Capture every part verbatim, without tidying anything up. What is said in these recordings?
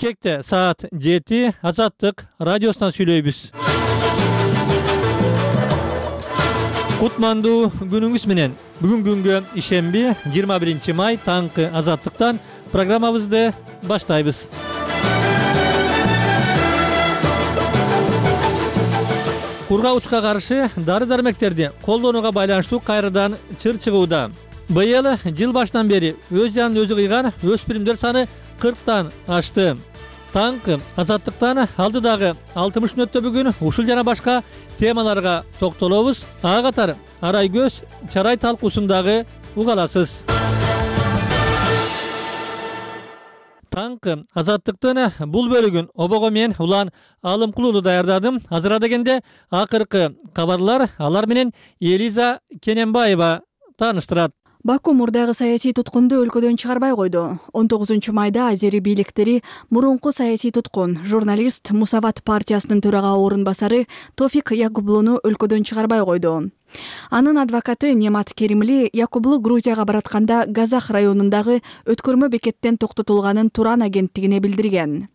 Кекте саат жети Азаттык радиосунан сүйлөйбүз. Кутмандуу күнүңүз менен. Бүгүн күнгө ишемби жыйырма биринчи май таңкы Азаттыктан программабызды баштайбыз. Кургагычка каршы дары-дармектерди колдонууга байланыштуу кайрадан чыр чыгууда. Быйыл жыл башынан бери өз жанын өзү кыйган өспүрүмдөр саны кырктан ашты. Таңкы Азаттыктан алдыдагы алтымыш мүнөттө бүгүн ушул жана башка темаларга токтолобуз. Ага катары Арай көз чарай талкуусундагы угаласыз. Таңкы Азаттыктын бул бөлүгүн обого мен Улан Алымкулуу даярдадым. Азыр дегенде акыркы кабарлар алар менен Элиза Кененбаева тааныштырат. Баку мурдагы саясий туткунду өлкөдөн чыгарбай койду. он тогузунчу майда азери бийликтери мурунку саясий туткун журналист Мусават партиясынын төрага орун басары Тофик Якублууну өлкөдөн чыгарбай койду. Анын адвокаты Немат Керимли Якублуу Грузияга баратканда Газах районундагы өткөрмө бекеттен токтотулганын Туран агенттигине билдирген.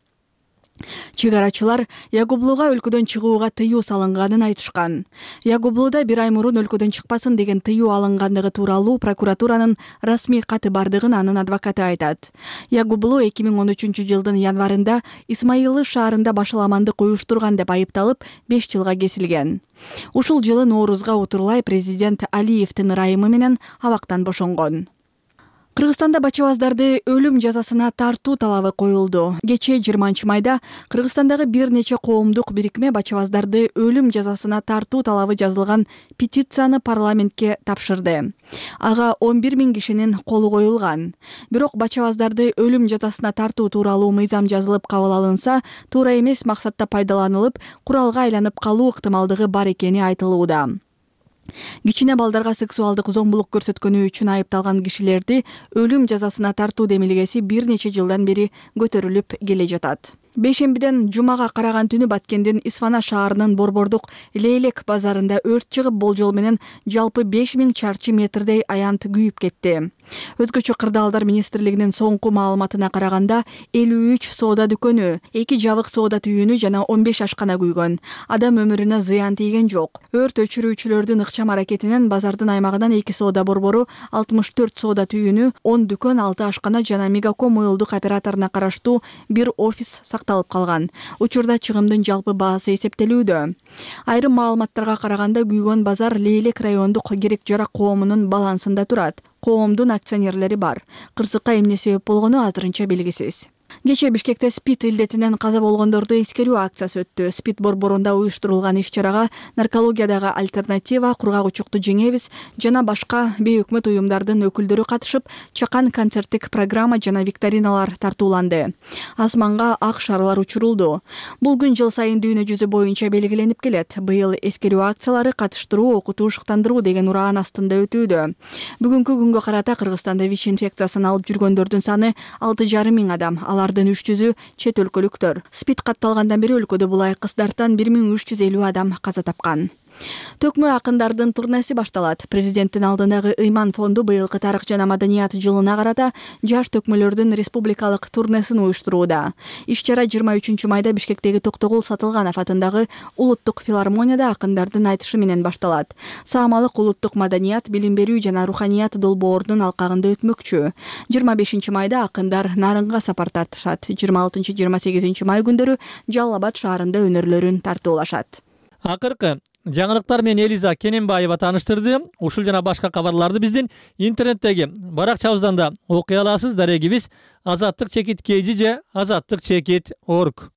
Чыгарачылар Якублууга өлкөдөн чыгууга тыюу салынганын айтышкан. Якублууда бир ай мурун өлкөдөн чыкпасын деген тыюу алынгандыгы тууралуу прокуратуранын расмий каты бардыгын анын адвокаты айтат. Якублуу эки миң он үчүнчү жылдын январында Исмаилы шаарында башаламандык уюштурган деп айыпталып беш жылга кесилген. Ушул жылы Ноорузга утурлай президент Алиевдин ырайымы менен абактан бошонгон. Кыргызстанда бачабаздарды өлүм жазасына тартуу талабы коюлду. Кечээ жыйырманчы майда Кыргызстандагы бир нече коомдук бирикме бачабаздарды өлүм жазасына тартуу талабы жазылган петицияны парламентке тапшырды. Ага он бир миң кишинин колу коюлган. Бирок бачабаздарды өлүм жазасына тартуу тууралуу мыйзам жазылып кабыл алынса, туура эмес максатта пайдаланылып, куралга айланып калуу ыктымалдыгы бар экени айтылууда. Кичине балдарга сексуалдык зомбулук көрсөткөнү үчүн айыпталган кишилерди өлүм жазасына тартуу демилгеси бир нече жылдан бери көтөрүлүп келе жатат. Бейшембиден жумага караган түнү Баткендин Исфана шаарынын Борбордук Лейлек базарында өрт чыгып, болжол менен жалпы беш миң чарчы метрдей аянт күйүп кетти. Өзгөчө кырдаалдар министрлигинин соңку маалыматына караганда элүү үч соода дүкөнү, эки жабык соода түйүнү жана он беш ашкана күйгөн. Адам өмүрүнө зыян тийген жок. Өрт өчүрүүчүлөрдүн ыкчам аракетинен базардын аймагынан эки соода борбору, алтымыш төрт соода түйүнү, он дүкөн, алты ашкана жана Мегаком уюлдук операторуна караштуу бир офис сакталып калган. Учурда чыгымдын жалпы баасы эсептелүүдө. Айрым маалыматтарга караганда күйгөн базар Лейлек райондук керек-жарак коомунун балансында турат. Коомдун акционерлери бар. Кырсыкка эмне себеп болгону азырынча белгисиз. Кечээ Бишкекте СПИД илдетинен каза болгондорду эскерүү акциясы өттү. СПИД борборунда уюштурулган иш-чарага наркологиядагы альтернатива, кургагычукту жеңебиз жана башка бейөкмөт уюмдардын өкүлдөрү катышып, чакан концерттик программа жана викториналар тартууланды. Асманга ак шарлар учурулду. Бул күн жыл сайын дүйнө жүзү боюнча белгиленип келет. Быйыл эскерүү акциялары катыштыруу, окутуу, шыктандыруу деген ураан астында өтүүдө. Бүгүнкү күнгө карата Кыргызстанда ВИЧ инфекциясын алып жүргөндөрдүн саны алты жарым миң адам. Алардын үч жүзү чет өлкөлүктөр. СПИД катталгандан бери өлкөдө булай кыздардан бир миң үч жүз элүү адам каза тапкан. Төкмө акындардын турнеси башталат. Президенттин алдындагы Ыйман фонду быйылкы тарых жана маданият жылына карата жаш төкмөлөрдүн республикалык турнесин уюштурууда. Иш-чара жыйырма үчүнчү майда Бишкектеги Токтогул Сатылганов атындагы улуттук филармонияда акындардын айтышы менен башталат. Саамалык улуттук маданият, билим берүү жана руханият долбоорунун алкагында өтмөкчү. жыйырма бешинчи майда акындар Нарынга сапар тартышат. жыйырма алтынчы жыйырма сегизинчи май күндөрү Жалал Абад шаарында өнөрлөрүн тартуулашат. Акыркы жаңылыктар менен Элиза Кененбаева тааныштырды. Ушул жана башка кабарларды биздин интернеттеги баракчабыздан да окуй аласыз. Дарегибиз азаттык чекит kg же азаттык чекит точка орг.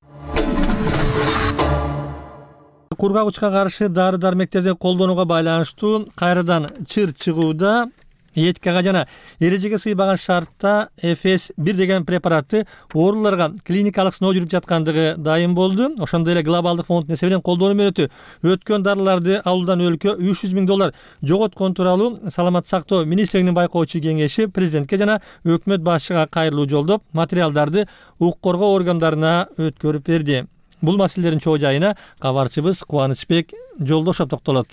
Кургагычка каршы дары-дармектерди колдонууга байланыштуу кайрадан чыр чыгууда. Этикага жана эрежеге сыйбаган шартта эф эс бир деген препаратты ооруларга клиникалык сыноо жүрүп жаткандыгы дайым болду. Ошондой эле глобалдык фонд эсебинен колдонуу мөөнөтү өткөн дарыларды алуудан өлкө үч жүз миң доллар жоготкон тууралуу саламаттык сактоо министрлигинин байкоочу кеңеши президентке жана өкмөт башчыга кайрылуу жолдоп, материалдарды укук коргоо органдарына өткөрүп берди. Бул маселелердин чоо жайына кабарчыбыз Кубанычбек Жолдошов токтолот.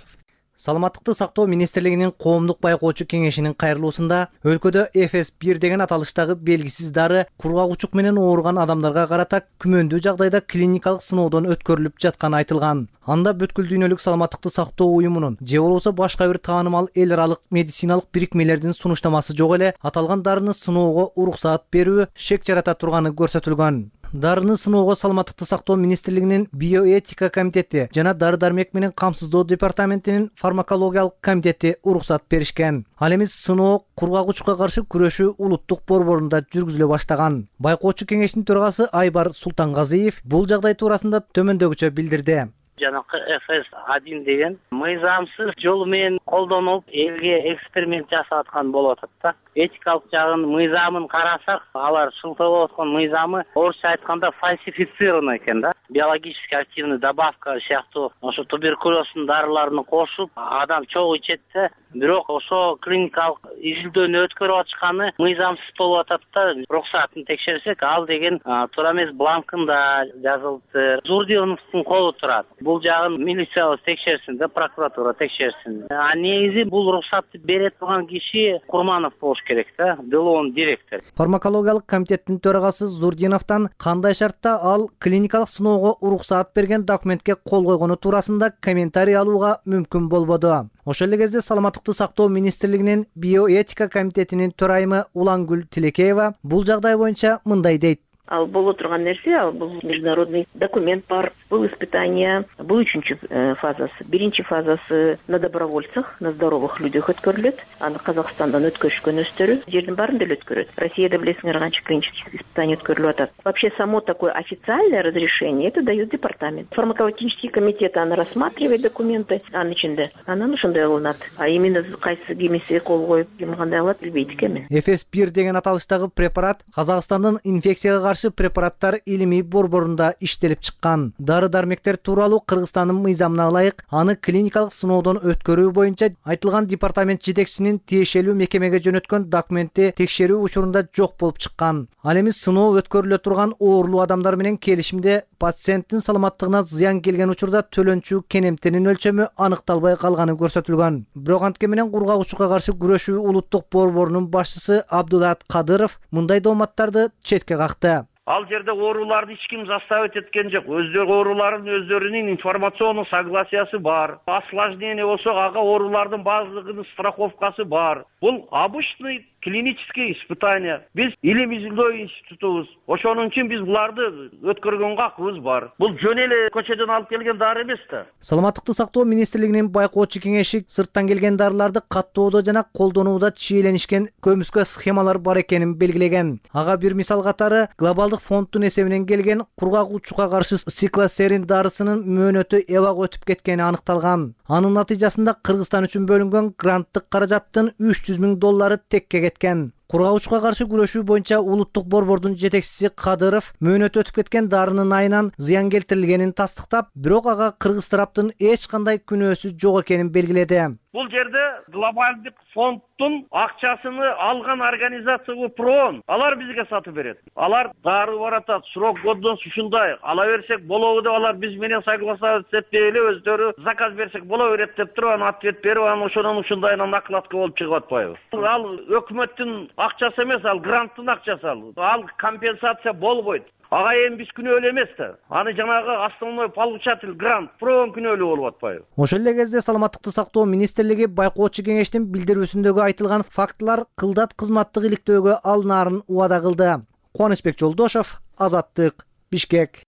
Саламаттыкты сактоо министрлигинин коомдук байкоочу кеңешинин кайрылуусунда өлкөдө эф эс бир деген аталыштагы белгисиз дары кургагучук менен ооруган адамдарга карата күмөндүү жагдайда клиникалык сыноодон өткөрүлүп жатканы айтылган. Анда бүткүл дүйнөлүк саламаттыкты сактоо уюмунун же болбосо башка бир таанымал эл аралык медициналык бирикмелердин сунуштамасы жок эле аталган дарыны сыноого уруксаат берүү шек жарата турганы көрсөтүлгөн. Дарыны сыноого саламаттыкты сактоо министрлигинин биоэтика комитети жана дары дармек менен камсыздоо департаментинин фармакологиялык комитети уруксат беришкен. Ал эми сыноо кургагучукка каршы күрөшүү улуттук борборунда жүргүзүлө баштаган. Байкоочу кеңештин төрагасы Айбар Султангазиев бул жагдай туурасында төмөндөгүчө билдирди. Жанакы эф эс один деген мыйзамсыз жол менен колдонулуп элге эксперимент жасап аткан болуп атат да. Этикалык жагын мыйзамын карасак, алар шылтоолоп аткан мыйзамы орусча айтканда фальсифицирован экен да. Биологически активный добавка сыяктуу ошо туберкулездин дарыларын кошуп, адам чогуу ичет да. Бирок ошо клиникалык изилдөөнү өткөрүп атышканы мыйзамсыз болуп атат да. Уруксатын текшерсек, ал деген туура эмес бланкында жазылыптыр. Зурдиновдун колу турат. Бул жагын милиция текшерсин да, прокуратура текшерсин. А негизи бул уруксатты бере турган киши Курманов болуш керек да, делоонун директору. Фармакологиялык комитеттин төрагасы Зурдиновдон кандай шартта ал клиникалык сыноого уруксаат берген документке кол койгону туурасында комментарий алууга мүмкүн болбоду. Ошол эле кезде саламаттыкты сактоо министрлигинин биоэтика комитетинин төрайымы Улангүл Тилекеева бул жагдай боюнча мындай дейт. Ал боло турган нерсе, ал бул международный документ бар. Бул испытание, бул үчүнчү фазасы. Биринчи фазасы на добровольцах, на здоровых людях өткөрүлөт. Аны Казакстандан өткөрүшкөн өстөрү жердин баарында эле өткөрөт. Россияда билесиңер канча клинических испытаний өткөрүлүп атат. Вообще само такое официальное разрешение это дает департамент. Фармакологический комитет аны рассматривает документы, анын ичинде. Анан ошондой кылынат. А именно кайсы кимиси кол коюп, ким кандай алат билбейт экенмин. эф эс бир деген аталыштагы препарат Казакстандын инфекцияга препараттар илимий борборунда иштелип чыккан. Дары дармектер тууралуу Кыргызстандын мыйзамына ылайык аны клиникалык сыноодон өткөрүү боюнча айтылган департамент жетекчисинин тиешелүү мекемеге жөнөткөн документи текшерүү учурунда жок болуп чыккан. Ал эми сыноо өткөрүлө турган оорулуу адамдар менен келишимде пациенттин саламаттыгына зыян келген учурда төлөнчү кенемтенин өлчөмү аныкталбай калганы көрсөтүлгөн. Бирок антке менен кургагучукка каршы күрөшүү улуттук борборунун башчысы Абдулат Кадыров мындай дооматтарды четке какты. Ал жерде ооруларды эч ким заставить эткен жок. Өздөрү оорулардын өздөрүнүн информационный согласиясы бар. Осложнение болсо ага оорулардын баардыгынын страховкасы бар. Бул обычный клинический испытание. Биз илим изилдөө институтубуз. Ошонун үчүн биз буларды өткөргөнгө акыбыз бар. Бул жөн эле көчөдөн алып келген дары эмес да. Саламаттыкты сактоо министрлигинин байкоочу кеңеши сырттан келген дарыларды каттоодо жана колдонууда чийленишкен көмүскө схемалар бар экенин белгилеген. Ага бир мисал катары глобалдык фонддун эсебинен келген кургагучукка каршы циклосерин дарысынын мөөнөтү эбак өтүп кеткени аныкталган. Анын натыйжасында Кыргызстан үчүн бөлүнгөн гранттык каражаттын үч жүз миң доллары текке кеткен. Кургагучукка каршы күрөшүү боюнча улуттук борбордун жетекчиси Кадыров мөөнөтү өтүп кеткен дарынын айынан зыян келтирилгенин тастыктап, бирок ага кыргыз тараптын эч кандай күнөөсү жок экенин белгиледи. Бул жерде глобалдык фонддун акчасыны алган организация ПРООН, алар бизге сатып берет. Алар дары баратат, срок годдон ушундай, ала берсек болобу деп алар биз менен согласовать этпей эле өздөрү заказ берсек боло берет деп туруп анан ответ берип, анан ошонун ушундайынан накладка болуп чыгып атпайбы? Ал өкмөттүн акчасы эмес, ал гранттын акчасы ал. Ал компенсация болбойт. Ага эми биз күнөөлүү эмес да. Аны жанагы основной получатель грант ПРООН күнөөлүү болуп атпайбы? Ошол эле кезде саламаттыкты сактоо министрлиги байкоочу кеңештин билдирүүсүндөгү айтылган фактылар кылдат кызматтык иликтөөгө алынаарын убада кылды. Кубанычбек Жолдошов, Азаттык, Бишкек.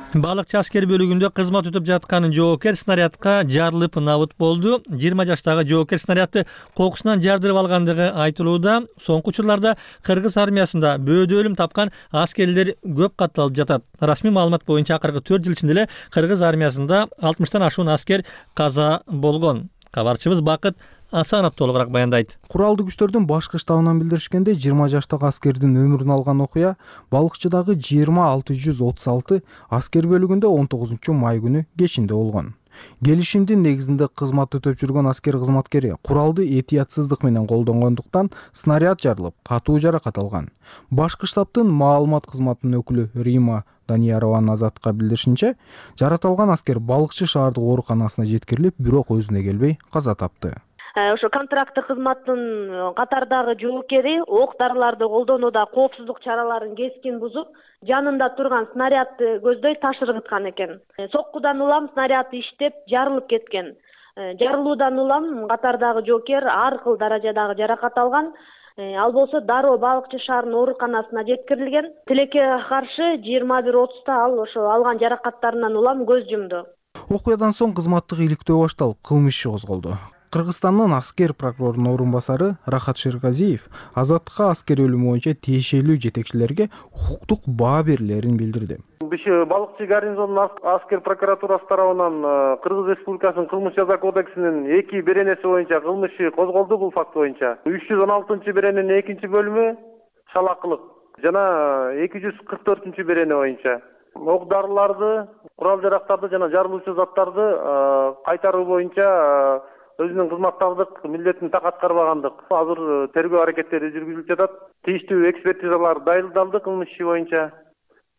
Балыкчы аскер бөлүгүндө кызмат өтүп жаткан жоокер снарядка жарылып набыт болду. жыйырма жаштагы жоокер снарядты кокусунан жардырып алгандыгы айтылууда. Соңку учурларда Кыргыз армиясында бөөдө өлүм тапкан аскерлер көп катталып жатат. Расмий маалымат боюнча акыркы төрт жыл ичинде эле Кыргыз армиясында алтымыштан ашуун аскер каза болгон. Кабарчыбыз Бакыт Асанов толугураак баяндайт. Куралдуу күчтөрдүн башкы штабынан билдиришкенде, жыйырма жаштагы аскердин өмүрүн алган окуя Балыкчыдагы жыйырма алты жүз отуз алты аскер бөлүгүндө он тогузунчу май күнү кечинде болгон. Келишимдин негизинде кызмат өтөп жүргөн аскер кызматкери куралды этиятсыздык менен колдонгондуктан снаряд жарылып, катуу жаракат алган. Башкы штабтын маалымат кызматынын өкүлү Рима Даниярованын Азаттыкка билдиришинче, жаратылган аскер балыкчы шаардык ооруканасына жеткирилип, бирок өзүнө келбей каза тапты. Ошо контракттык кызматтын катардагы жоокери ок дарыларды колдонууда коопсуздук чараларын кескин бузуп, жанында турган снарядды көздөй таш ыргыткан экен. Соккудан улам снаряд иштеп, жарылып кеткен. Жарылуудан улам катардагы жоокер ар кыл даражадагы жаракат алган. Ал болсо дароо балыкчы шаарынын ооруканасына жеткирилген. Тилекке каршы жыйырма бир отузда ал ошо алган жаракаттарынан улам көз жумду. Окуядан соң кызматтык иликтөө башталып, кылмыш иши козголду. Кыргызстандын аскер прокурорунун орун басары Рахат Шерказиев Азаттыкка аскер өлүмү боюнча тиешелүү жетекчилерге укуктук баа берилерин билдирди. Биш балыкчы гарнизонунун аскер прокуратурасы тарабынан Кыргыз Республикасынын кылмыш жаза кодексинин эки беренеси боюнча кылмыш иши козголду. Бул факт боюнча үч жүз он алтынчы берененин экинчи бөлүмү шалакылык жана эки жүз кырк төртүнчү берене боюнча ок дарыларды, курал жарактарды жана жарылуучу заттарды кайтаруу боюнча өзүнүн кызматтардык милдетин так аткарбагандык. Азыр тергөө аракеттери жүргүзүлүп жатат. Тийиштүү экспертизалар дайындалды кылмыш иши боюнча.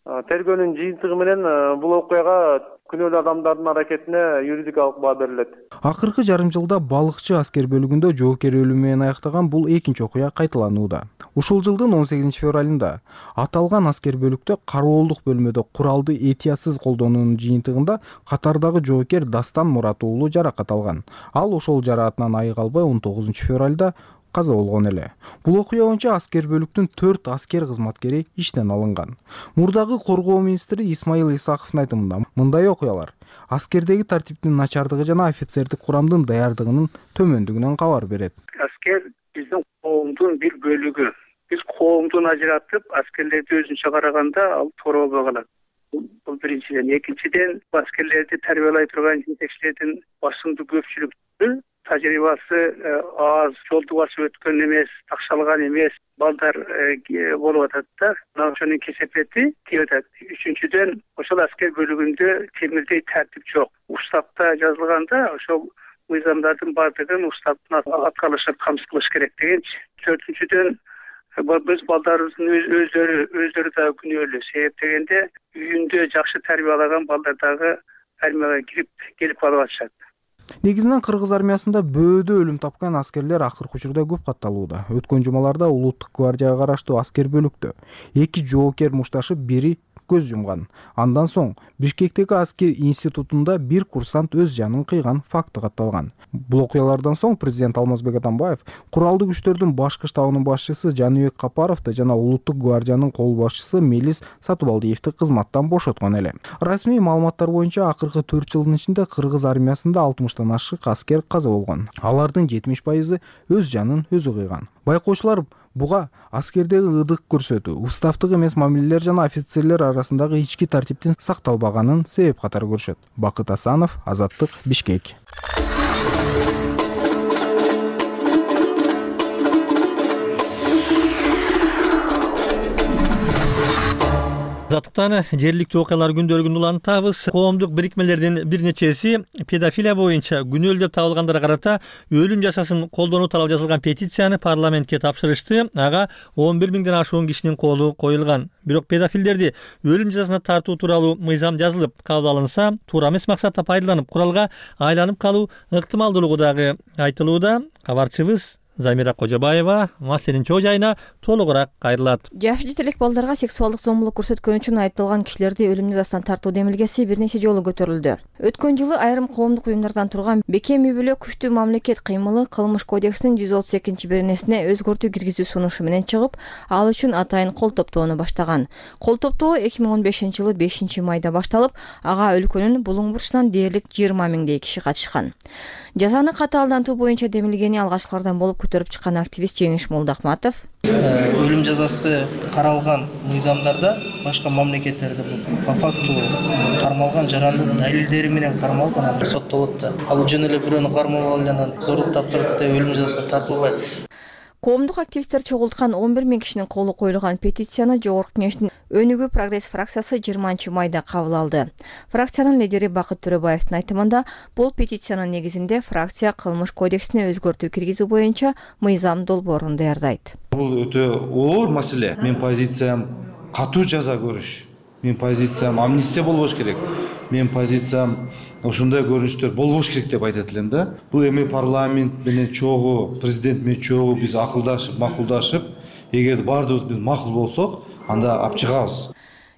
Тергөөнүн жыйынтыгы менен бул окуяга күнөөлүү адамдардын аракетине юридикалык баа берилет. Акыркы жарым жылда балыкчы аскер бөлүгүндө жоокер өлүмү менен аяктаган бул экинчи окуя кайталанууда. Ушул жылдын он сегизинчи февралында аталган аскер бөлүктө кароолдук бөлмөдө куралды этиятсыз колдонуунун жыйынтыгында катардагы жоокер Дастан Мурат уулу жаракат алган. Ал ошол жараатынан айыга албай он тогузунчу февралда каза болгон эле. Бул окуя боюнча аскер бөлүктүн төрт аскер кызматкери иштен алынган. Мурдагы коргоо министри Исмаил Исаковдун айтымында мындай окуялар аскердеги тартиптин начардыгы жана офицердик курамдын даярдыгынын төмөндүгүнөн кабар берет. Аскер биздин коомдун бир бөлүгү. Биз коомдун ажыратып, аскерлерди өзүнчө караганда ал торобой калат. Бул биринчиден. Экинчиден, аскерлерди тарбиялай турган жетекчилердин басымдуу көпчүлүгү тажрыйбасы аз, жолду басып өткөн эмес, такшалган эмес балдар болуп атат да. Мына ошонун кесепети тийип атат. Үчүнчүдөн, ошол аскер бөлүгүндө темирдей тартип жок. Уставта жазылганда ошол мыйзамдардын бардыгын уставдын аткарылышын камсыз кылыш керек дегенчи. Төртүнчүдөн, биз балдарыбыздын өздөрү өздөрү да күнөөлүү. Себеп дегенде үйүндө жакшы тарбиялаган балдар дагы армияга кирип келип калып атышат. Негизинен кыргыз армиясында бөөдө өлүм тапкан аскерлер акыркы учурда көп катталууда. Өткөн жумаларда улуттук гвардияга караштуу аскер бөлүктө эки жоокер мушташып, бири көз жумган. Андан соң Бишкектеги аскер институтунда бир курсант өз жанын кыйган факты катталган. Бул окуялардан соң президент Алмазбек Атамбаев куралдуу күчтөрдүн башкы штабынын башчысы Жаныбек Капаровду жана улуттук гвардиянын кол башчысы Мелис Сатыбалдиевди кызматтан бошоткон эле. Расмий маалыматтар боюнча акыркы төрт жылдын ичинде кыргыз армиясында алтымыштан ашык аскер каза болгон. Алардын жетимиш пайызы өз жанын өзү кыйган. Байкоочулар буга аскердеги ыдык көрсөтүү, уставдык эмес мамилелер жана офицерлер арасындагы ички тартиптин сакталбаганын себеп катары көрүшөт. Бакыт Асанов, Азаттык, Бишкек. Азаттыктан жергиликтүү окуялар күндөлүгүн улантабыз. Коомдук бирикмелердин бир нечеси педофилия боюнча күнөөлүү деп табылгандарга карата өлүм жазасын колдонуу талап жазылган петицияны парламентке тапшырышты. Ага он бир миңден ашуун кишинин колу коюлган. Бирок педофилдерди өлүм жазасына тартуу тууралуу мыйзам жазылып кабыл алынса, туура эмес максатта пайдаланып куралга айланып калуу ыктымалдуулугу дагы айтылууда. Кабарчыбыз Замира Кожобаева маселенин чоо жайына толугураак кайрылат. Жаш жетелек балдарга сексуалдык зомбулук көрсөткөн үчүн айыпталган кишилерди өлүм жазасынан тартуу демилгеси бир нече жолу көтөрүлдү. Өткөн жылы айрым коомдук уюмдардан турган бекем үй бүлө күчтүү мамлекет кыймылы кылмыш кодексинин жүз отуз экинчи беренесине өзгөртүү киргизүү сунушу менен чыгып, ал үчүн атайын кол топтоону баштаган. Кол топтоо эки миң он бешинчи жылы бешинчи майда башталып, ага өлкөнүн булуң бурчунан дээрлик жыйырма миңдей киши катышкан. Жазаны катаалдантуу боюнча демилгени алгачкылардан болуп көтөрүп чыккан активист Жеңиш Молдахматов өлүм жазасы каралган мыйзамдарда башка мамлекеттерде по факту кармалган жарандын далилдери менен кармалган соттолот да. Ал жөн эле бирөөнү кармалып алып анан зордук таптырып өлүм жазасына тартылбайт. Коомдук активисттер чогулткан он бир миң кишинин колу коюлган петицияны Жогорку Кеңештин Өнүгүү прогресс фракциясы жыйырманчы майда кабыл алды. Фракциянын лидери Бакыт Төрөбаевдин айтымында, бул петициянын негизинде фракция кылмыш кодексине өзгөртүү киргизүү боюнча мыйзам долбоорун даярдайт. Бул өтө оор маселе. Мен позициям катуу жаза көрүш. Мен позициям амнистия болбош керек. Мен позициям ушундай көрүнүштөр болбош керек деп айтат элем да. Бул эми парламент менен чогуу, президент менен чогуу биз акылдашып, макулдашып, эгер баардыгыбыз биз макул болсок, анда алып чыгабыз.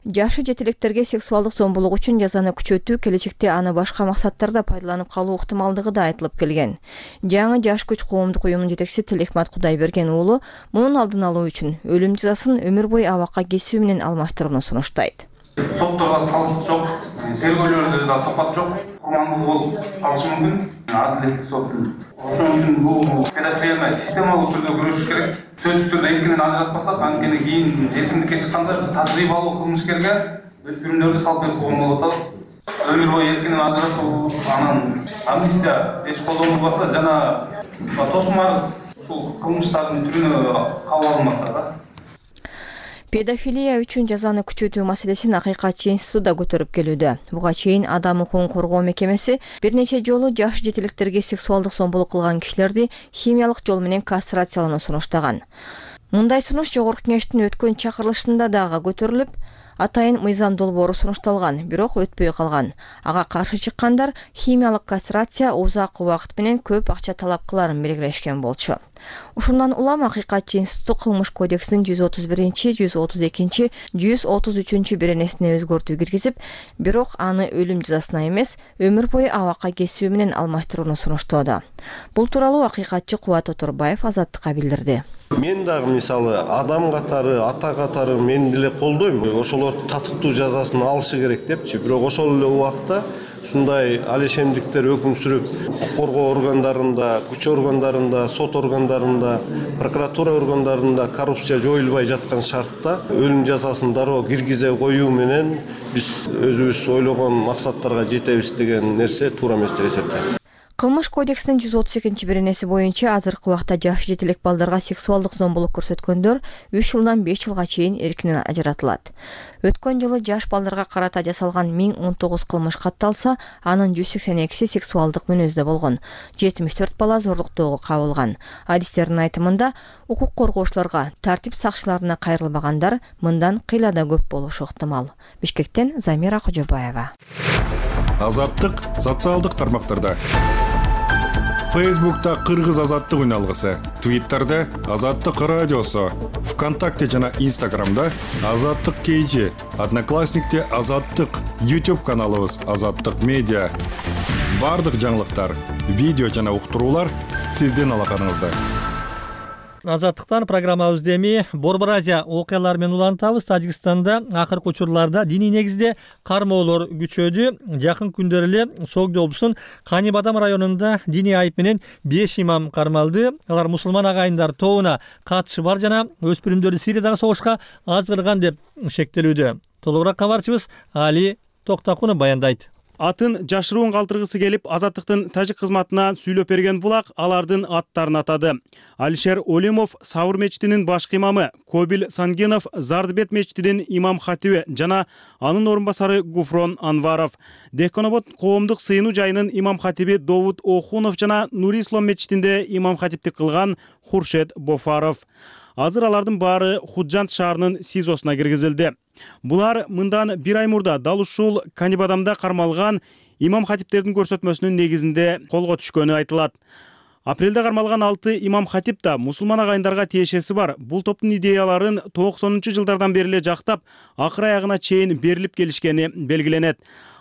Жашы жетилектерге сексуалдык зомбулук үчүн жазаны күчөтүү келечекте аны башка максаттарда пайдаланып калуу ыктымалдыгы да айтылып келген. Жаңы Жаш күч коомдук уюмунун жетекчиси Тилекмат Кудайберген уулу мунун алдын алуу үчүн өлүм жазасын өмүр бою абакка кесүү менен алмаштырууну сунуштайт. Сотторго салыш жок, тергөөлөрдө да сапат жок, курмандуу болуп калышы мүмкүн. Адилеттик сот. Ошон үчүн бул педофилия системалык түрдө күрөшүш керек. Сөзсүз түрдө эркинен ажыратпасак, анткени кийин эркиндикке чыкканда биз тажрыйбалуу кылмышкерге өспүрүмдөрдү салып берип койгон болуп атабыз. Өмүр бою эркинен ажыратуу, анан амнистия эч колдонулбаса жана тосум арыз ушул кылмыштардын түрүнө кабыл алынмаса да. Педофилия үчүн жазаны күчөтүү маселесин Акыйкатчы институты да көтөрүп келүүдө. Буга чейин Адам укугун коргоо мекемеси бир нече жолу жаш жетилектерге сексуалдык зомбулук кылган кишилерди химиялык жол менен кастрациялоону сунуштаган. Мындай сунуш Жогорку Кеңештин өткөн чакырылышында дагы көтөрүлүп, атайын мыйзам долбоору сунушталган, бирок өтпөй калган. Ага каршы чыккандар химиялык кастрация узак убакыт менен көп акча талап кыларын белгилешкен болчу. Ушундан улам Акыйкатчы институту кылмыш кодексинин жүз отуз биринчи, жүз отуз экинчи, жүз отуз үчүнчү беренесине өзгөртүү киргизип, бирок аны өлүм жазасына эмес, өмүр бою абакка кесүү менен алмаштырууну сунуштоодо. Бул тууралуу Акыйкатчы Кубат Оторбаев Азаттыкка билдирди. Мен дагы мисалы адам катары, ата катары мен деле колдойм. Ошолор татыктуу жазасын алышы керек депчи. Бирок ошол эле убакта ушундай алешемдиктер өкүм сүрүп, коргоо органдарында, күч органдарында, сот органдарында, прокуратура органдарында коррупция жоюлбай жаткан шартта өлүм жазасын дароо киргизе коюу менен биз өзүбүз ойлогон максаттарга жетебиз деген нерсе туура эмес деп эсептейм. Кылмыш кодексинин жүз отуз экинчи беренеси боюнча азыркы убакта жаш жетилек балдарга сексуалдык зомбулук көрсөткөндөр үч жылдан беш жылга чейин эркинен ажыратылат. Өткөн жылы жаш балдарга карата жасалган миң он тогуз кылмыш катталса, анын жүз сексен экиси сексуалдык мүнөздө болгон. жетимиш төрт бала зорлуктоого кабылган. Адистердин айтымында, укук коргоочуларга, тартип сакчыларына кайрылбагандар мындан кыйлада көп болушу ыктымал. Бишкектен Замира Кожобаева. Азаттык социалдык тармактарда. Фейсбукта Кыргыз азаттык үналгысы, Твиттерде Азаттык радиосу, ВКонтакте жана Инстаграмда Азаттык кейжи, Одноклассникте Азаттык, YouTube каналыбыз Азаттык медиа. Бардык жаңылыктар, видео жана уктуруулар сиздин алаканыңызда. Азаттыктан программабызды эми Борбор Азия окуялары менен улантабыз. Тажикстанда акыркы учурларда диний негизде кармоолор күчөдү. Жакын күндөр эле Согди облусунун Канибадам районунда диний айып менен беш имам кармалды. Алар мусулман агайындар тобуна катышы бар жана өспүрүмдөрдү Сириядагы согушка азгырган деп шектелүүдө. Толугураак кабарчыбыз Али Токтакунов баяндайт. Атын жашыруун калтыргысы келип, Азаттыктын тажик кызматына сүйлөп берген булак алардын аттарын атады. Алишер Олимов Саур мечитинин башкы имамы, Кобил Сангенов Зардыбет мечитинин имам хатиби жана анын орун басары Гуфрон Анваров. Деконобод коомдук сыйынуу жайынын имам хатиби Довуд Охунов жана Нури Ислам мечитинде имам хатиптик кылган Хуршет Бофаров. Азыр алардын баары Худжант шаарынын СИЗОсуна киргизилди. Булар мындан бир ай мурда дал ушул Канибадамда кармалган имам хатиптердин көрсөтмөсүнүн негизинде колго түшкөнү айтылат. Апрелде кармалган алты имам хатип да мусулман агайындарга тиешеси бар. Бул топтун идеяларын токсонунчу жылдардан бери эле жактап, акыр аягына чейин берилип келишкени белгиленет.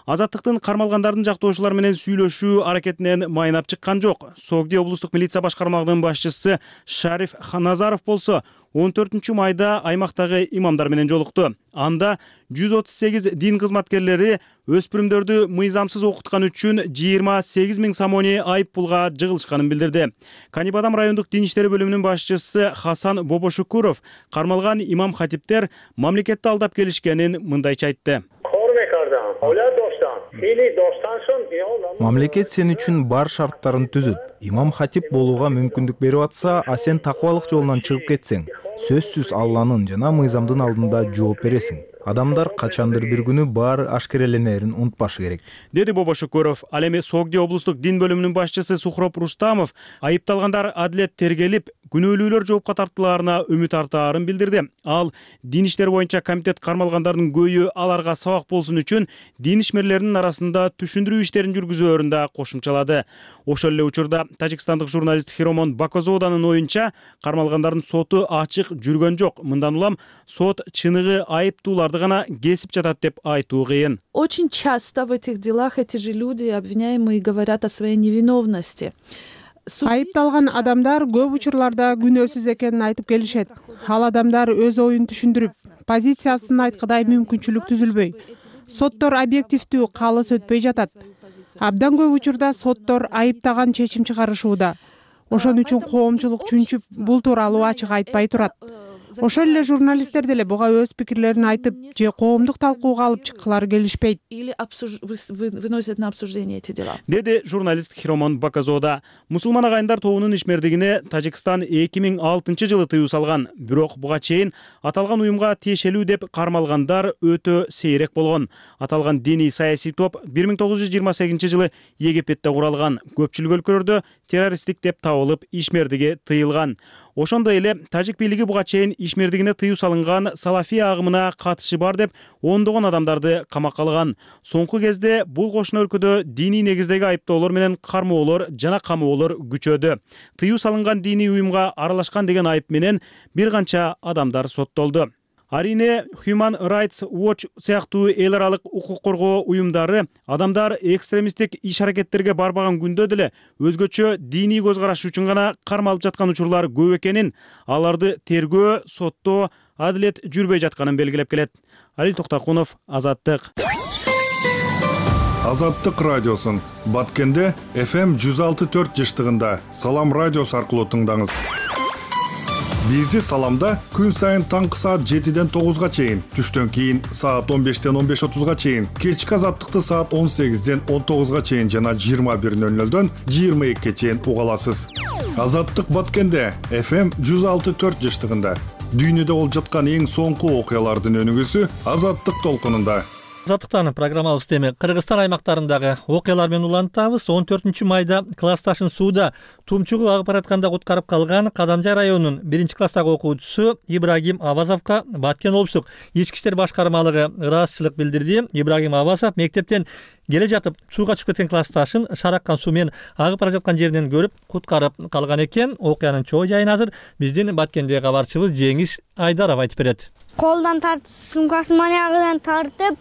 Азаттыктын кармалгандардын жактоочулары менен сүйлөшүү аракетинен майнап чыккан жок. Согди облустук милиция башкармалыгынын башчысы Шариф Назаров болсо он төртүнчү майда аймактагы имамдар менен жолукту. Анда жүз отуз сегиз дин кызматкерлери өспүрүмдөрдү мыйзамсыз окуткан үчүн жыйырма сегиз миң сомони айып пулга жыгылышканын билдирди. Канибадам райондук дин иштери бөлүмүнүн башчысы Хасан Бобошукуров кармалган имам хатиптер мамлекетти алдап келишкенин мындайча айтты. Мамлекет сен үчүн бар шарттарын түзүп, имам хатип болууга мүмкүндүк берип атса, а сен такыбалык жолунан чыгып кетсең, сөзсүз Алланын жана мыйзамдын алдында жооп бересиң. Адамдар качандыр бир күнү баары ашкереленерин унутпашы керек, деди Бобо Шөкөров. Ал эми Согди облустук дин бөлүмүнүн башчысы Сухроп Рустамов айыпталгандар адилет тергелип, күнөөлүүлөр жоопко тартылаарына үмүт артаарын билдирди. Ал дин иштери боюнча комитет кармалгандардын көйү аларга сабак болсун үчүн дин ишмерлеринин арасында түшүндүрүү иштерин жүргүзөөрүн да кошумчалады. Ошол эле учурда тажикстандык журналист Хиромон Бакозоданын оюнча кармалгандардын соту ачык жүргөн жок. Мындан улам сот чыныгы айыптууларды гана кесип жатат деп айтуу кыйын. Очень часто в этих делах эти же люди, обвиняемые, говорят о своей невиновности. Айыпталган адамдар көп учурларда күнөөсүз экенин айтып келишет. Ал адамдар өз оюн түшүндүрүп, позициясын айткыдай мүмкүнчүлүк түзүлбөй. Соттор объективдүү калыс өтпөй жатат. Абдан көп учурда соттор айыптаган чечим чыгарышууда. Ошон үчүн коомчулук чүнчүп бул тууралуу ачык айтпай турат. Ошол эле журналисттер деле буга өз пикирлерин айтып, же коомдук талкууга алып чыккылары келишпейт. Или выносят на обсуждение эти дела. Деди журналист Хиромон Бакозода. Мусулман агайындар тобунун ишмердигине Тажикстан эки миң алтынчы жылы тыюу салган. Бирок буга чейин аталган уюмга тиешелүү деп кармалгандар өтө сейрек болгон. Аталган диний саясий топ бир миң тогуз жүз жыйырма сегизинчи жылы Египетте куралган. Көпчүлүк өлкөлөрдө террористтик деп табылып, ишмердиги тыйылган. Ошондой эле тажик бийлиги буга чейин ишмердигине тыюу салынган салафия агымына катышы бар деп ондогон адамдарды камакка алган. Соңку кезде бул кошуна өлкөдө диний негиздеги айыптоолор менен кармоолор жана камоолор күчөдү. Тыюу салынган диний уюмга аралашкан деген айып менен бир канча адамдар соттолду. Арине Human Rights Watch сыяктуу эл аралык укук коргоо уюмдары адамдар экстремисттик иш-аракеттерге барбаган күндө деле өзгөчө диний көз караш үчүн гана кармалып жаткан учурлар көп экенин, аларды тергөө, соттоо, адилет жүрбөй жатканын белгилеп келет. Алил Токтокунов, Азаттык. Азаттык радиосун Баткенде эф эм жүз алты төрт жыштыгында Салам радиосу аркылуу тыңдаңыз. Бизди Саламда күн сайын таңкы саат жетиден тогузга чейин, түштөн кийин саат он бештен он беш отузга чейин, кечки Азаттыкты саат он сегизден он тогузга чейин жана жыйырма бир нөл нөлдөн жыйырма экиге чейин уга аласыз. Азаттык Баткенде эф эм жүз алты төрт жыштыгында дүйнөдө болуп жаткан эң соңку окуялардын өнүгүүсү Азаттык толкунунда. Азаттыктан программабыз эми Кыргызстан аймактарындагы окуялар менен улантабыз. он төртүнчү майда классташын сууда тумчугу агып баратканда куткарып калган Кадамжай районунун биринчи класстагы окуучусу Ибрагим Авазовго Баткен облустук ички иштер башкармалыгы ыраазычылык билдирди. Ибрагим Авазов мектептен келе жатып сууга чыгып кеткен классташын шараккан суу менен агып бара жаткан жеринен көрүп куткарып калган экен. Окуянын чоо жайын азыр биздин Баткендеги кабарчыбыз Жеңиш Айдаров айтып берет. Колдон тартып, сумкасын маягынан тартып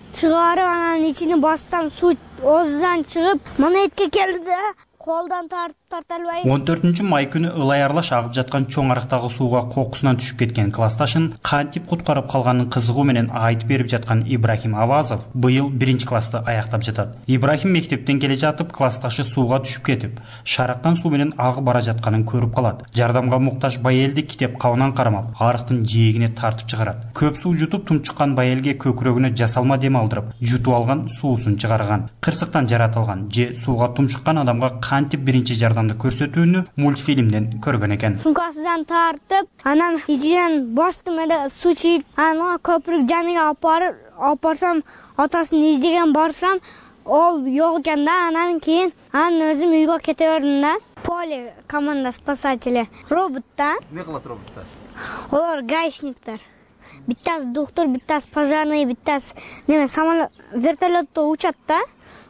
чыгарып, анан ичине бассам суу озудан чыгып, монетке келди. Колдон тартып тарта албай. он төртүнчү май күнү ылай аралаш агып жаткан чоң арыктагы сууга кокусунан түшүп кеткен классташын кантип куткарып калганын кызыгуу менен айтып берип жаткан Ибрахим Авазов быйыл биринчи классты аяктап жатат. Ибрахим мектептен келе жатып, классташы сууга түшүп кетип, шараккан суу менен агып бара жатканын көрүп калат. Жардамга муктаж байелди китеп кабынан кармап, арыктын жээгине тартып чыгарат. Көп суу жутуп тумчуккан байелге көкүрөгүнө жасалма дем алдырып, жутуп алган суусун чыгарган. Кырсыктан жаратылган же сууга тумчуккан адамга кантип биринчи жардамды көрсөтүүнү мультфильмден көргөн экен. Сумкасынан тартып, анан ичинен бастым эле суу чыйып, анан көпүрүк жаныга алып барып, алып барсам, атасын издеген барсам, ол жок экен да. Анан кийин анан өзүм үйгө кете бердим да. Поле команда спасатели. Робот да. Эмне кылат роботтор? Олар гаишниктер. Биттасы доктор, биттасы пожарный, биттасы неме самолет, вертолетто учат да.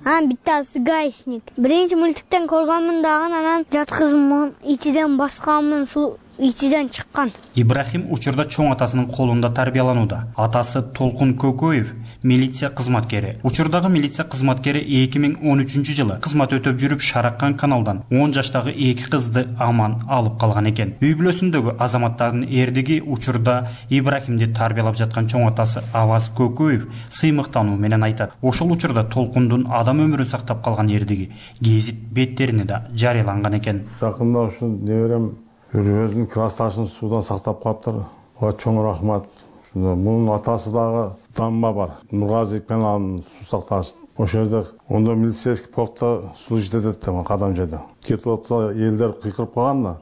Анан биттасы гаишник. Биринчи мультиктен көргөнмүн дагы, анан жаткызып ичиден басканмын, суу ичиден чыккан. Ибрахим учурда чоң атасынын колунда тарбияланууда. Атасы Толкун Көкөев милиция кызматкери. Учурдагы милиция кызматкери эки миң он үчүнчү жылы кызмат өтөп жүрүп Шараккан каналдан он жаштагы эки кызды аман алып калган экен. Үй бүлөсүндөгү азаматтардын эрдиги учурда Ибрахимди тарбиялап жаткан чоң атасы Аваз Көкөев сыймыктануу менен айтат. Ошол учурда Толкундун адам өмүрүн сактап калган эрдиги гезит беттерине да жарыяланган экен. Жакында ушу неберем өзүнүн классташын суудан сактап калыптыр. Ага чоң рахмат. Мунун атасы дагы Дамма бар. Нургазиев каналынын суу сакташ ошол жерде ондо милицейский полкто служить этет да кадамжада кетип атса элдер кыйкырып калган да